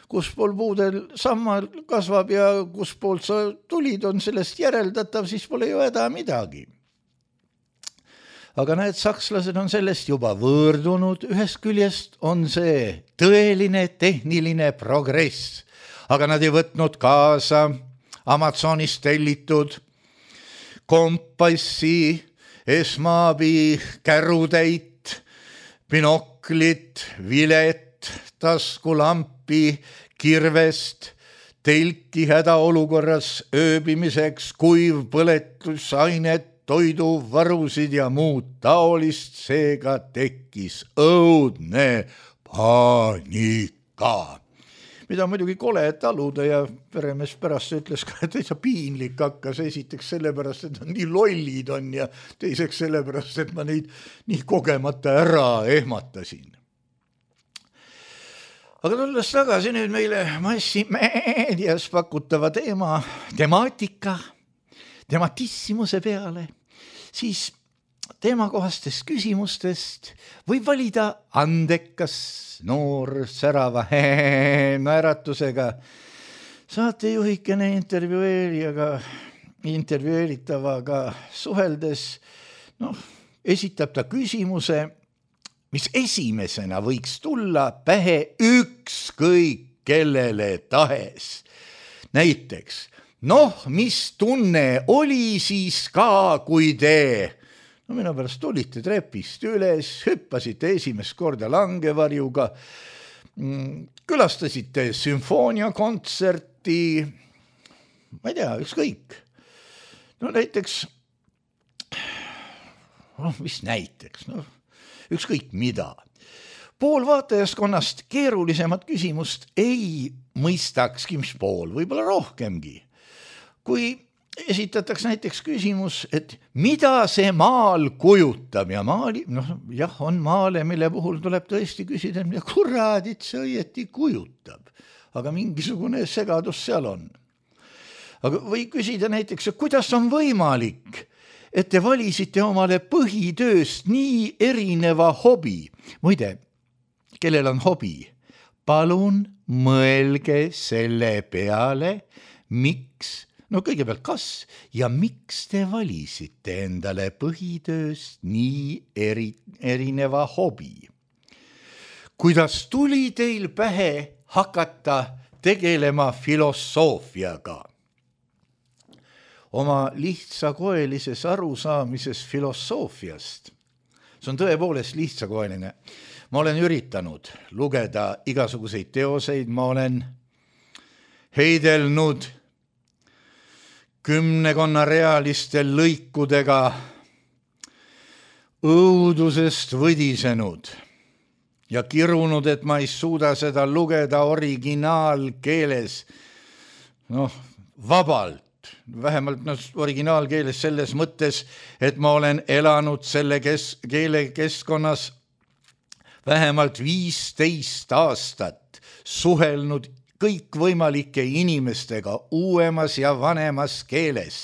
kus pool puudel sammal kasvab ja kus poolt sa tulid, on sellest järeldatav, siis pole ju häda midagi. Aga need sakslased on sellest juba võõrdunud, ühest küljest on see tõeline tehniline progress, aga nad ei võtnud kaasa Amazonist tellitud kompassi, esmaabi, kärutäit, binoklit, vilet, taskulampi, kirvest, telki hädaolukorras ööbimiseks, kuiv põletusainet, toiduvarusid ja muud taolist, seega tekkis õudne paanika. Mida muidugi kole taluda ja peremees pärast ütles ka, et täitsa piinlik hakkas esiteks sellepärast, et on nii lollid on ja teiseks sellepärast, et ma neid nii kogemata ära ehmatasin. Aga tulles tagasi nüüd meile massimeedias pakutava teema, temaatika, tematissimuse peale, siis teemakohastest küsimustest võib valida andekas, noor, särava naeratusega saatejuhikene intervjueerijaga, intervjueeritavaga suheldes, noh, esitab ta küsimuse, mis esimesena võiks tulla pähe ükskõik kellele tahes. Näiteks, noh, mis tunne oli siis ka, kui te, no minu pärast tulite trepist üles, hüppasite esimest korda langevarjuga, külastasite sümfooniakontserti, ma ei tea, ükskõik. No näiteks, noh, mis näiteks, noh, ükskõik mida. Pool vaatajaskonnast keerulisemat küsimust ei mõistakski, mis pool, võib-olla rohkemgi. Kui esitatakse näiteks küsimus, et mida see maal kujutab ja maali, noh, jah, on maale, mille puhul tuleb tõesti küsida, mida kuradit see õieti kujutab, aga mingisugune segadus seal on. Aga või küsida näiteks, kuidas on võimalik, et te valisite omale põhitööst nii erineva hobi. Muide, kellel on hobi, palun mõelge selle peale, miks, no kõigepealt kas ja miks te valisite endale põhitööst nii eri, erineva hobi. Kuidas tuli teil pähe hakata tegelema filosoofiaga? Oma lihtsakoelises arusaamises filosoofiast, see on tõepoolest lihtsakoeline. Ma olen üritanud lugeda igasuguseid teoseid, ma olen heidelnud kümnekonna realistel lõikudega õudusest võdisenud ja kirunud, et ma ei suuda seda lugeda originaalkeeles, noh, vabalt. Vähemalt no, originaalkeeles selles mõttes, et ma olen elanud selle kes, keele keskkonnas vähemalt viisteist aastat, suhelnud kõikvõimalike inimestega uuemas ja vanemas keeles.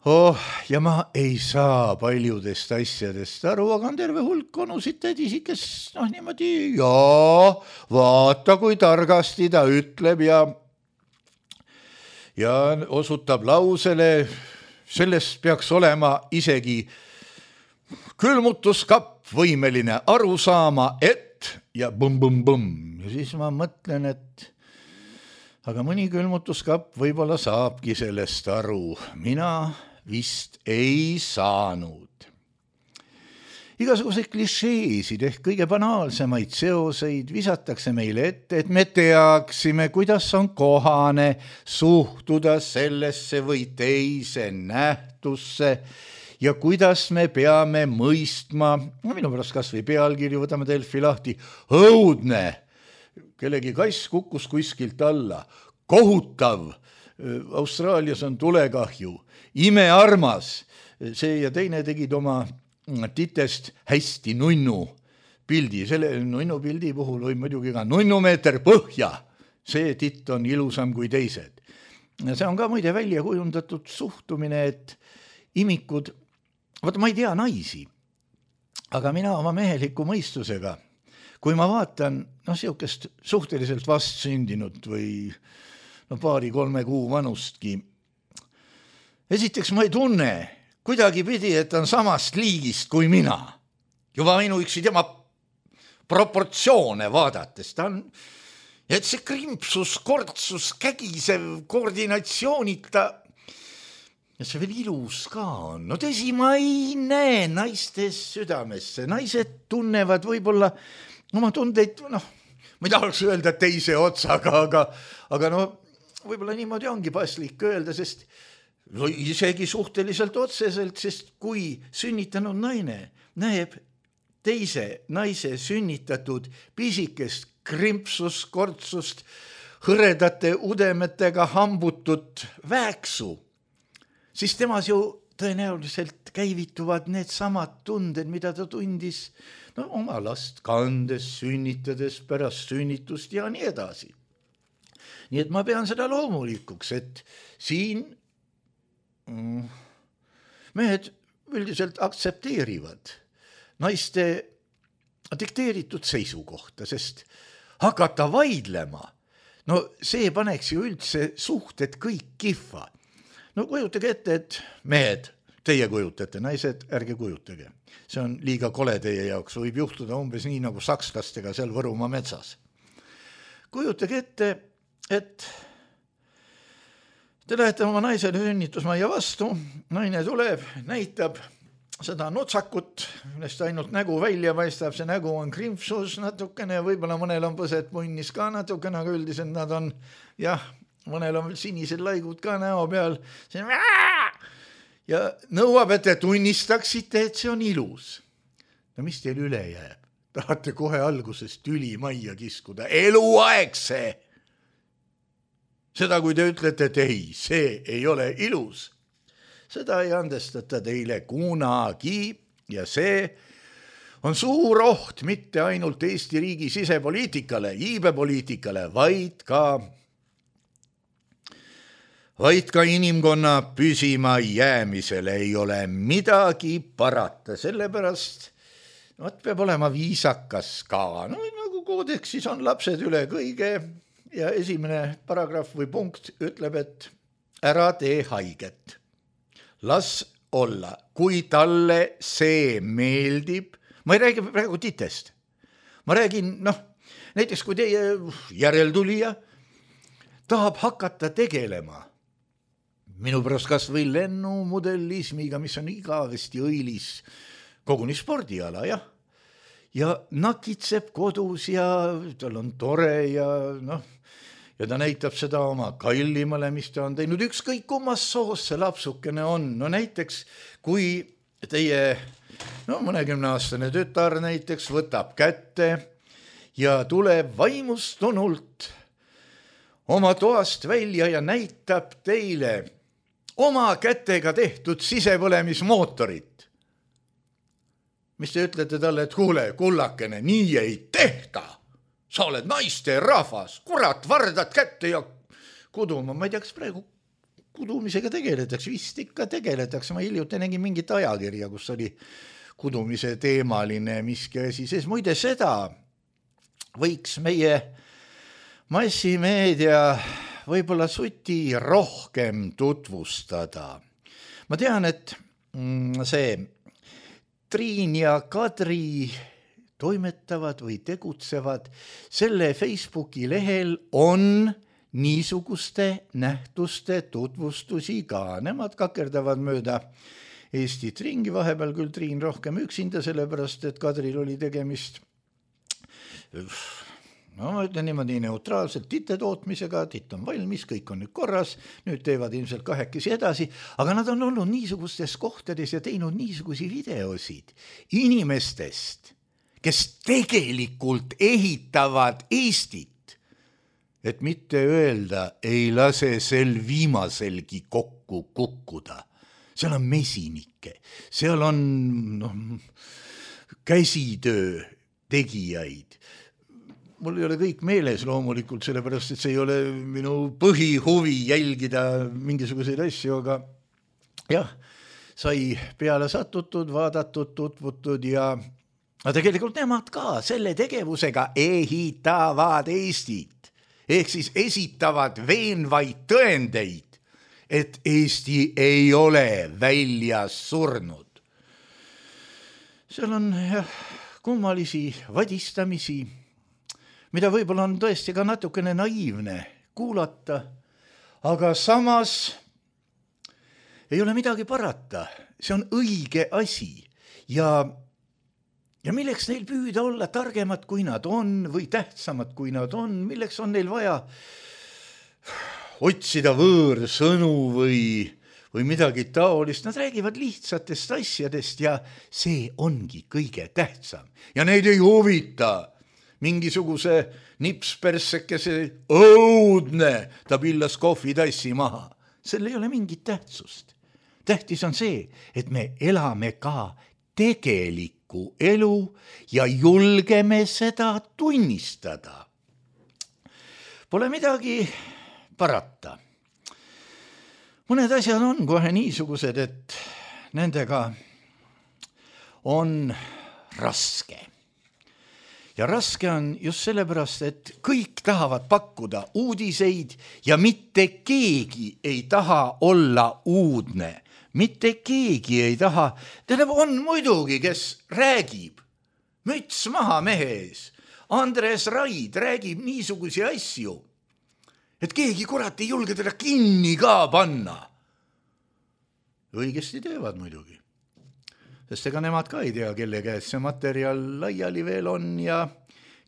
Oh, ja ma ei saa paljudest asjadest aru, aga on terve hulk onusid tädisi, kes noh niimoodi, jaa, vaata kui targasti ta ütleb ja ja osutab lausele, sellest peaks olema isegi külmutuskapp võimeline aru saama, et ja bum-bum-bum. Ja siis ma mõtlen, et aga mõni külmutuskapp võib-olla saabki sellest aru. Mina vist ei saanud. Igasuguseid klišeesid ehk kõige banaalsemaid seoseid visatakse meile ette, et me teaksime, kuidas on kohane suhtuda sellesse või teise nähtusse ja kuidas me peame mõistma, no minu pärast kas või pealkirju, võtame Delfi lahti, õudne, kellegi kass kukkus kuskilt alla, kohutav, Austraalias on tulekahju, imearmas, see ja teine tegid oma titest hästi nunnu pildi. Selle nunnu pildi puhul võib muidugi ka nunnumeeter põhja. See titt on ilusam kui teised. See on ka muide välja kujundatud suhtumine, et imikud, vaata ma ei tea naisi, aga mina oma meheliku mõistusega, kui ma vaatan no, siukest suhteliselt vastsündinud või no, paari-kolme kuu vanustki, esiteks ma ei tunne kuidagi pidi, et on samast liigist kui mina. Juba ainuüksi tema proportsioone vaadates. Ta on, et see krimpsus, kortsus, kägisev, koordinatsioonita ja see veel ilus ka on. No tõsi, ma ei näe naistes südamesse. Naised tunnevad võib-olla oma tundeid, noh, ma ei tahaks öelda teise otsaga, aga, aga no võib-olla niimoodi ongi paslik öelda, sest no isegi suhteliselt otseselt, sest kui sünnitanud naine näeb teise naise sünnitatud pisikest krimpsust, kortsust, hõredate udemetega hambutut vääksu, siis temas ju tõenäoliselt käivituvad need samad tunded, mida ta tundis no, oma last kandes, sünnitades, pärast sünnitust ja nii edasi. Nii et ma pean seda loomulikuks, et siin mehed üldiselt aktsepteerivad naiste dikteeritud seisukohta, sest hakata vaidlema, no see paneks ju üldse suhted kõik kihva. No kujutage ette, et mehed, teie kujutate, naised, ärge kujutage. See on liiga kole teie jaoks, võib juhtuda umbes nii nagu sakslastega seal Võrumaa metsas. Kujutage ette, et te lähete oma naisele sünnitusmajja vastu, naine tuleb, näitab seda nutsakut, millest ainult nägu välja paistab, see nägu on krimpsus natukene, võib-olla mõnel on põsed punnis ka natukene, aga üldiselt nad on, jah, mõnel on veel sinised laigud ka näo peal, see on ja nõuab, et te tunnistaksite, et see on ilus. No mis teil üle jääb? Tahate kohe alguses tüli majja kiskuda. Eluaeg see! Seda, kui te ütlete, et ei, see ei ole ilus. Seda ei andestata teile kunagi ja see on suur oht mitte ainult Eesti riigi sisepoliitikale, iibepoliitikale, vaid ka vaid ka inimkonna püsima jäämisele ei ole midagi parata, sellepärast võt peab olema viisakas ka. No nagu koodeksis on lapsed üle kõige ja esimene paragrahv või punkt ütleb, et ära tee haiget. Las olla, kui talle see meeldib, ma ei räägi praegu titest, ma räägin, noh, näiteks kui teie järeltulija tahab hakata tegelema minu pärast kas või lennumudelismiga, mis on igavesti õilis koguni spordiala, jah. Ja nakitseb kodus ja tal on tore ja noh, ja ta näitab seda oma kallimale, mis ta on teinud. Ükskõik kummas soos see lapsukene on. No näiteks, kui teie no, mõnekümne aastane tütar näiteks võtab kätte ja tuleb vaimustunult oma toast välja ja näitab teile oma kätega tehtud sisepõlemismootorit. Mis te ütlete talle, et kuule, kullakene, nii ei tehta. Sa oled naiste rahvas, kurat, vardad kätte ja kuduma. Ma ei tea, kas praegu kudumisega tegeletakse, vist ikka tegeletakse. Ma hiljuti nägin mingit ajakirja, kus oli kudumise teemaline miski asi. Sees muide seda võiks meie massimeedia võib-olla suti rohkem tutvustada. Ma tean, et see Triin ja Kadri toimetavad või tegutsevad, selle Facebooki lehel on niisuguste nähtuste tutvustusi ka. Nemad kakerdavad mööda Eestit ringi, vahepeal küll Triin rohkem üksinda, sellepärast, et Kadril oli tegemist no ma ütlen niimoodi neutraalselt tite tootmisega, titt on valmis, kõik on nüüd korras, nüüd teevad ilmselt kahekesi edasi, aga nad on olnud niisugustes kohtades ja teinud niisugusi videosid inimestest, kes tegelikult ehitavad Eestit, et mitte öelda, ei lase sel viimaselgi kokku kukkuda. Seal on mesinikke, seal on no, käsitöö tegijaid. Mul ei ole kõik meeles loomulikult, sellepärast, et see ei ole minu põhihuvi jälgida mingisuguseid asju, aga jah, sai peale satutud, vaadatud, tutvutud ja aga tegelikult nemad ka selle tegevusega ehitavad Eestit. Ehk siis esitavad veenvaid tõendeid, et Eesti ei ole väljas surnud. Seal on jah, kummalisi vadistamisi, mida võib-olla on tõesti ka natukene naiivne kuulata, aga samas ei ole midagi parata. See on õige asi ja, ja milleks neil püüda olla targemad, kui nad on või tähtsamad, kui nad on, milleks on neil vaja otsida võõrsõnu või, või midagi taolist. Nad räägivad lihtsatest asjadest ja see ongi kõige tähtsam ja neid ei huvita mingisuguse nipspersekese õudne, ta pillas kohvitassi maha. Sel ei ole mingit tähtsust. Tähtis on see, et me elame ka tegelikku elu ja julgeme seda tunnistada. Pole midagi parata. Mõned asjad on kohe niisugused, et nendega on raske. Ja raske on just sellepärast, et kõik tahavad pakkuda uudiseid ja mitte keegi ei taha olla uudne. Mitte keegi ei taha. Tähendab, on muidugi, kes räägib. Müts maha mehe ees. Andres Raid räägib niisugusi asju, et keegi kurat ei julge teda kinni ka panna. Õigesti teevad muidugi. Sest ega nemad ka ei tea, kelle käes see materjal laiali veel on ja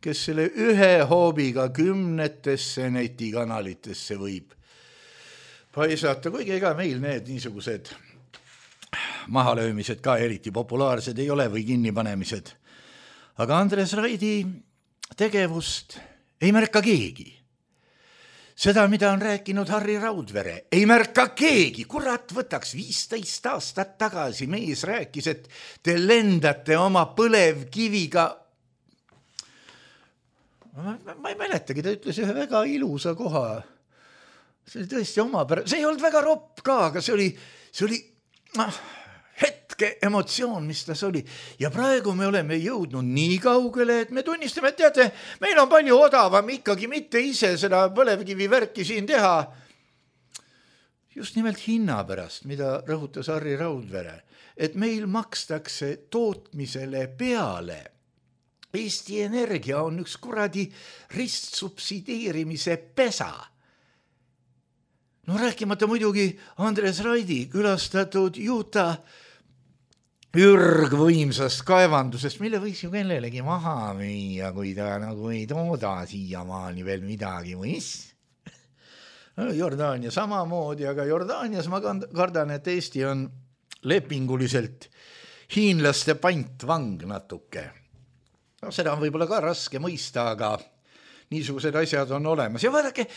kes selle ühe hoobiga kümnetesse netikanalitesse võib paisata, kuigi ega meil need niisugused mahalöömised ka eriti populaarsed ei ole või kinnipanemised. Aga Andres Raidi tegevust ei märka keegi. Seda, mida on rääkinud Harri Raudvere, ei märka keegi. Kurat, võtaks viisteist aastat tagasi mees rääkis, et te lendate oma põlevkiviga. Ma, ma ei mäletagi, ta ütles ühe väga ilusa koha. See oli tõesti oma pära. See ei olnud väga ropp ka, aga see oli, see oli noh, hetke emotsioon, mis tas oli. Ja praegu me oleme jõudnud nii kaugele, et me tunnistame, et teate, meil on palju odavam ikkagi mitte ise seda põlevkivi värki siin teha. Just nimelt hinna pärast, mida rõhutas Harri Raudvere, et meil makstakse tootmisele peale. Eesti Energia on üks kuradi ristsubsideerimise pesa. No rääkimata muidugi Andres Raidi külastatud Juta ürgvõimsast kaevandusest, mille võiks ju kellelegi maha müüa, kui ta nagu ei tooda siiamaani veel midagi või mis. Jordaania samamoodi, aga Jordaanias ma kardan, et Eesti on lepinguliselt hiinlaste pantvang natuke. No, seda on võib-olla ka raske mõista, aga niisugused asjad on olemas. Ja vaadake,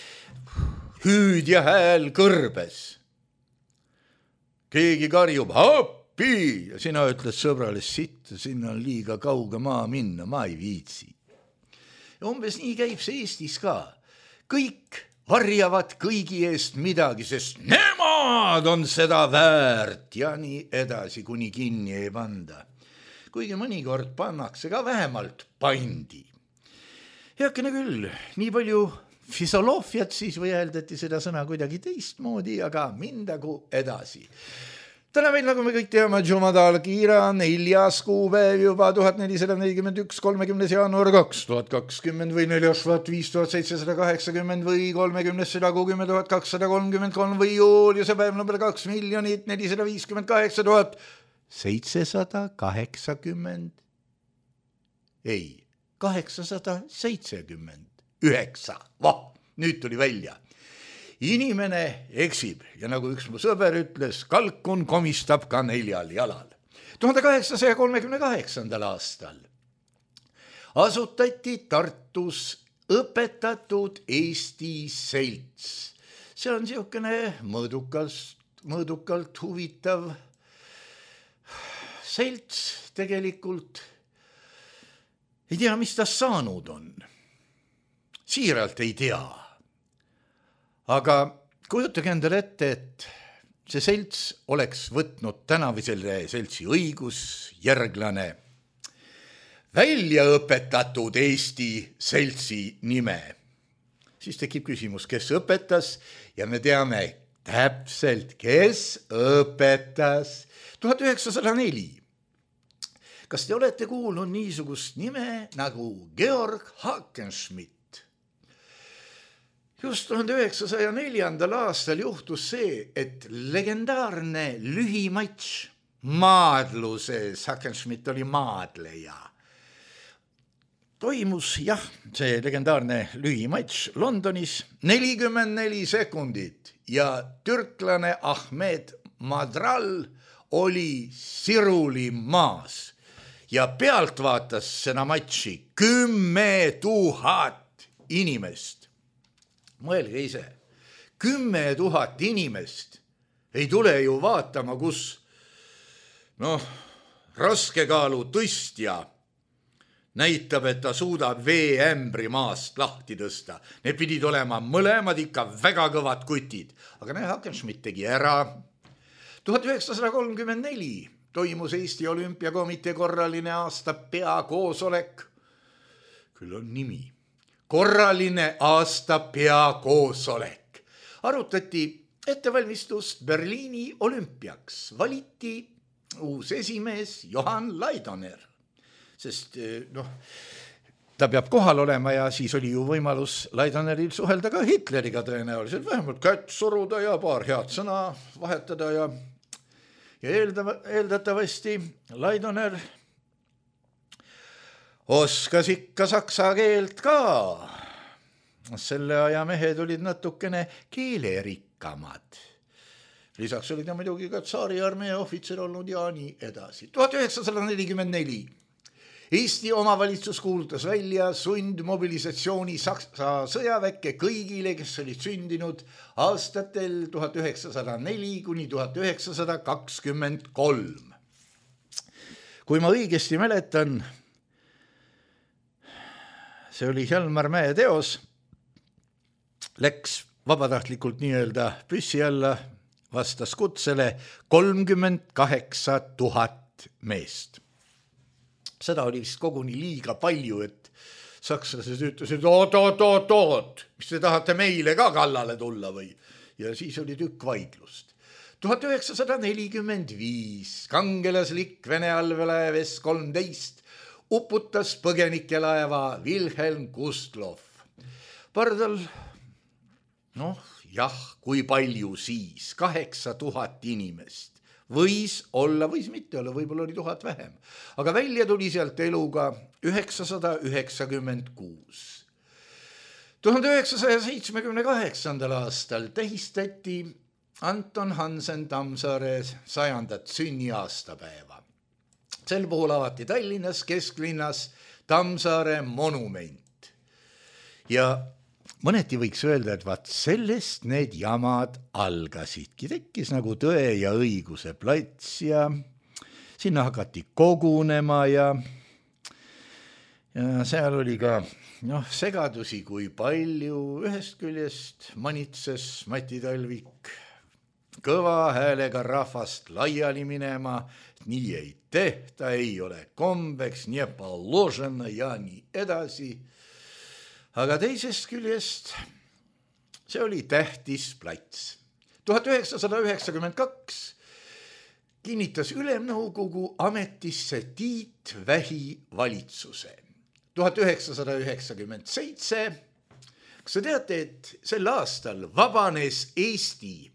hüüd ja hääl kõrbes. Keegi karjub, appi, ja sina ütles sõbrale sitt, sinna on liiga kauge maa minna, ma ei viitsi. Ja umbes nii käib see Eestis ka. Kõik varjavad kõigi eest midagi, sest nemad on seda väärt ja nii edasi, kuni kinni ei panda. Kuigi mõnikord pannakse ka vähemalt pandi. Heakene küll, nii palju fisoloofiat siis või hääldati seda sõna kuidagi teistmoodi, aga mindagu edasi. Täna meil, nagu me kõik teame, Jumadal Kiira, neljas kuupäev juba tuhat nelisada nelikümmend üks, kolmekümnes jaanuar kaks tuhat kakskümmend või neljas vaat viis tuhat seitsesada kaheksakümmend või kolmekümnes sada kuuskümmend tuhat kakssada kolmkümmend kolm või juuliuse päev number kaks miljonit nelisada viiskümmend kaheksa tuhat seitsesada kaheksakümmend ei, kaheksasada seitsekümmend üheksa. Vah, nüüd tuli välja. Inimene eksib ja nagu üks mu sõber ütles, kalkun komistab ka neljal jalal. tuhande kaheksasaja kolmekümne kaheksandal aastal asutati Tartus õpetatud Eesti selts. See on niisugune mõõdukalt, mõõdukalt huvitav selts tegelikult. Ei tea, mis ta saanud on. Siiralt ei tea. Aga kujutage endale ette, et see selts oleks võtnud tänavise seltsi õigusjärglane välja õpetatud Eesti seltsi nime. Siis tekib küsimus, kes õpetas ja me teame täpselt, kes õpetas. tuhat üheksasada neli. Kas te olete kuulnud niisugust nime nagu Georg Hackenschmidt? Just tuhande üheksasaja neljandal aastal juhtus see, et legendaarne lühimatš maadluses, Hackenschmidt oli maadleja, toimus, jah, see legendaarne lühimatš Londonis nelikümmend neli sekundit ja türklane Ahmed Madral oli siruli maas ja pealt vaatas seda matši kümme tuhat inimest. Mõelge ise, kümme tuhat inimest ei tule ju vaatama, kus noh, raskekaalu tõstja näitab, et ta suudab veeämbri maast lahti tõsta. Need pidid olema mõlemad ikka väga kõvad kutid. Aga näe, Hackenschmidt tegi ära. tuhat üheksasada kolmkümmend neli toimus Eesti Olümpiakomitee korraline aasta peakoosolek. Küll on nimi. Korraline aasta peakoosolek. Arutati ettevalmistust Berliini olümpiaks. Valiti uus esimees Johan Laidoner. Sest noh, ta peab kohal olema ja siis oli ju võimalus Laidoneril suhelda ka Hitleriga tõenäoliselt. Vähemalt kätt suruda ja paar head sõna vahetada ja, ja eeldava, eeldatavasti Laidoner oskas ikka saksa keelt ka. Selle aja mehed olid natukene keelerikkamad. Lisaks oli ta muidugi ka tsaari armee ohvitser olnud ja nii edasi. tuhat üheksasada nelikümmend neli Eesti omavalitsus kuulutas välja sundmobilisatsiooni Saksa sõjaväkke kõigile, kes olid sündinud aastatel tuhat üheksasada neli kuni tuhat üheksasada kakskümmend kolm. Kui ma õigesti mäletan, see oli Hjalmar Mäe teos, läks vabatahtlikult nii-öelda püssi alla, vastas kutsele kolmkümmend kaheksa tuhat meest. Seda oli vist koguni liiga palju, et sakslased ütlesid, oot, oot, oot, oot, mis te tahate meile ka kallale tulla või? Ja siis oli tükk vaidlust. tuhat üheksasada nelikümmend viis kangelaslik Vene allveelaev S kolmteist uputas põgenikelaeva Wilhelm Gustloff. Pardal, noh jah, kui palju siis, kaheksa tuhat inimest. Võis olla, võis mitte olla, võib-olla oli tuhat vähem. Aga välja tuli sealt eluga üheksasada üheksakümmend kuus. tuhande üheksasaja seitsmekümne kaheksandal aastal tähistati Anton Hansen Tammsaare sajandat sünniaastapäeva. Sel puhul avati Tallinnas kesklinnas Tammsaare monument. Ja mõneti võiks öelda, et vaat sellest need jamad algasidki. Tekkis nagu Tõe ja õiguse plats ja sinna hakati kogunema ja, ja seal oli ka noh, segadusi kui palju. Ühest küljest manitses Mati Talvik kõva häälega rahvast laiali minema, nii ei tehta, ei ole kombeks, nii poложено ja nii edasi. Aga teisest küljest see oli tähtis plats. tuhat üheksasada üheksakümmend kaks kinnitas Ülemnõukogu ametisse Tiit Vähi valitsuse. tuhat üheksasada üheksakümmend seitse kas sa teate, et sel aastal vabanes Eesti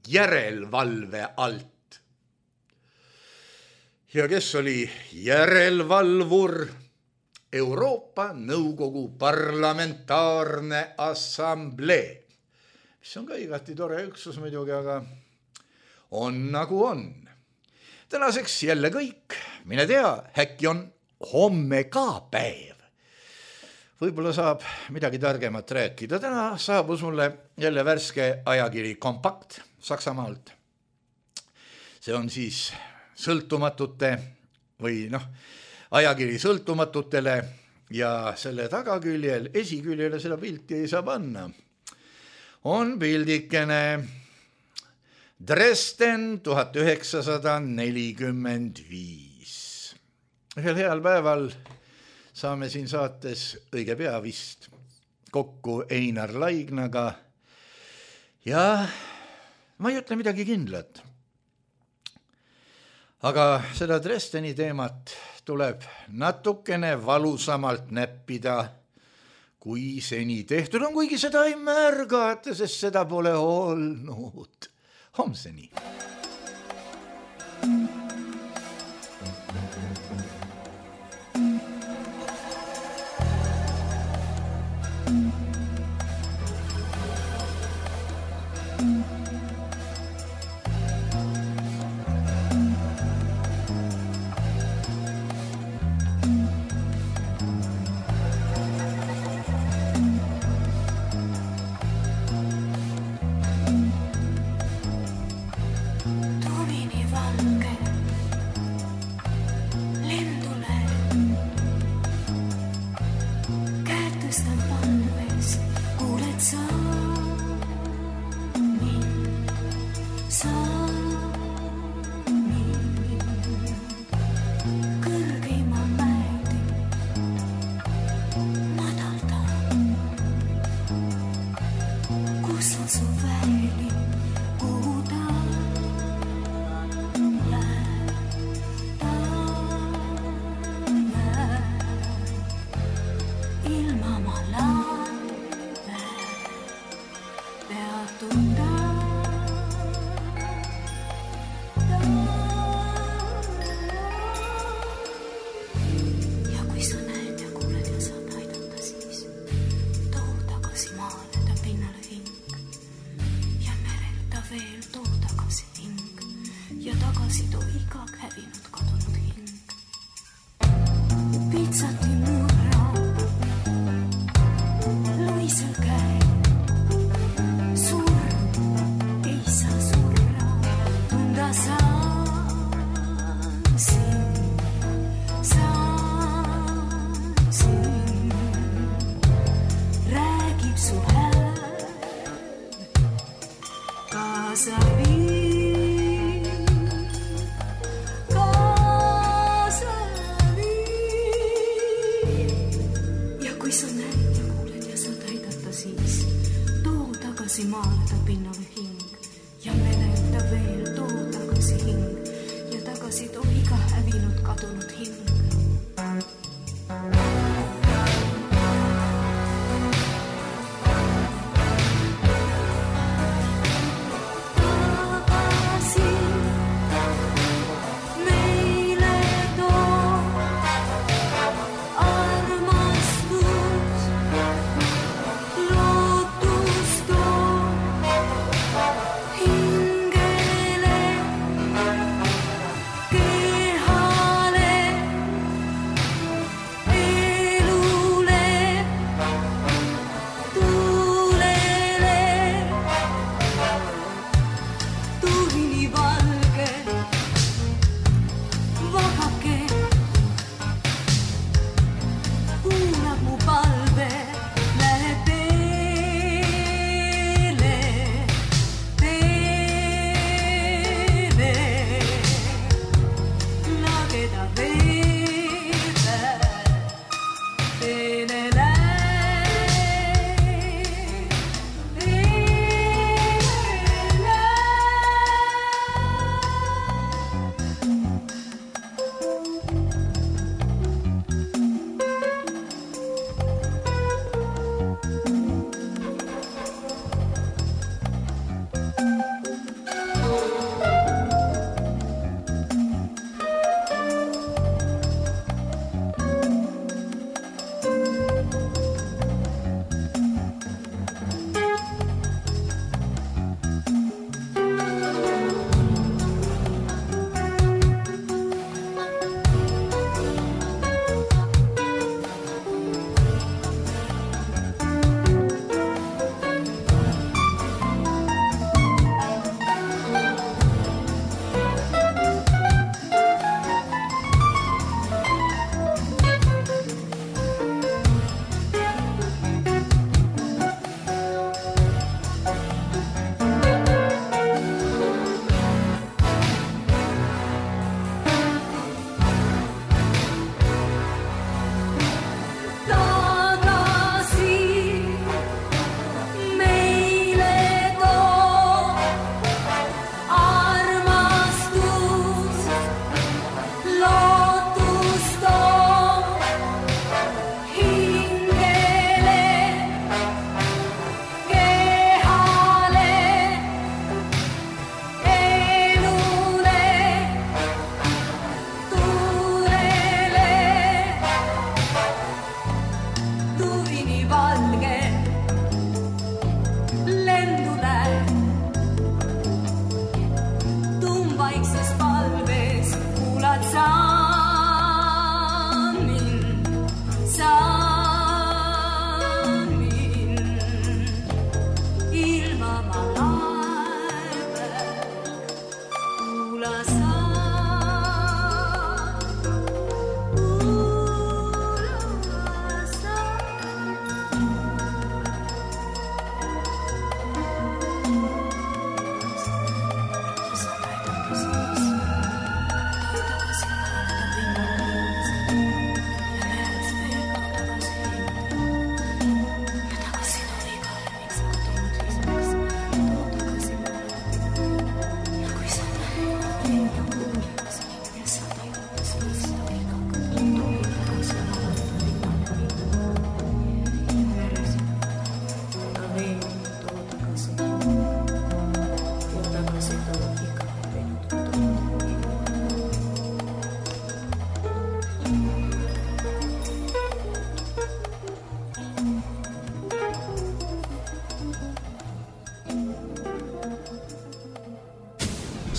järelevalve alt? Ja kes oli järelevalvur? Euroopa Nõukogu parlamentaarne assamblee, mis on ka igati tore üksus muidugi, aga on nagu on. Tänaseks jälle kõik, mine tea, äkki on homme ka päev. Võib-olla saab midagi targemat rääkida. Täna saabus mulle jälle värske ajakiri Kompakt Saksamaalt. See on siis sõltumatute või noh, ajakiri sõltumatutele ja selle tagaküljel, esiküljele seda pilti ei saa panna. On pildikene Dresden tuhat üheksasada nelikümmend viis. Ühel heal päeval saame siin saates õige pea vist kokku Einar Laignaga ja ma ei ütle midagi kindlat. Aga seda Dresdeni teemat tuleb natukene valusamalt näppida, kui seni tehtud on, kuigi seda ei märgata, sest seda pole olnud. Homseni.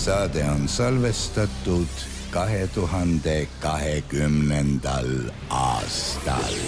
Saade on salvestatud kahe tuhande kahekümnendal aastal.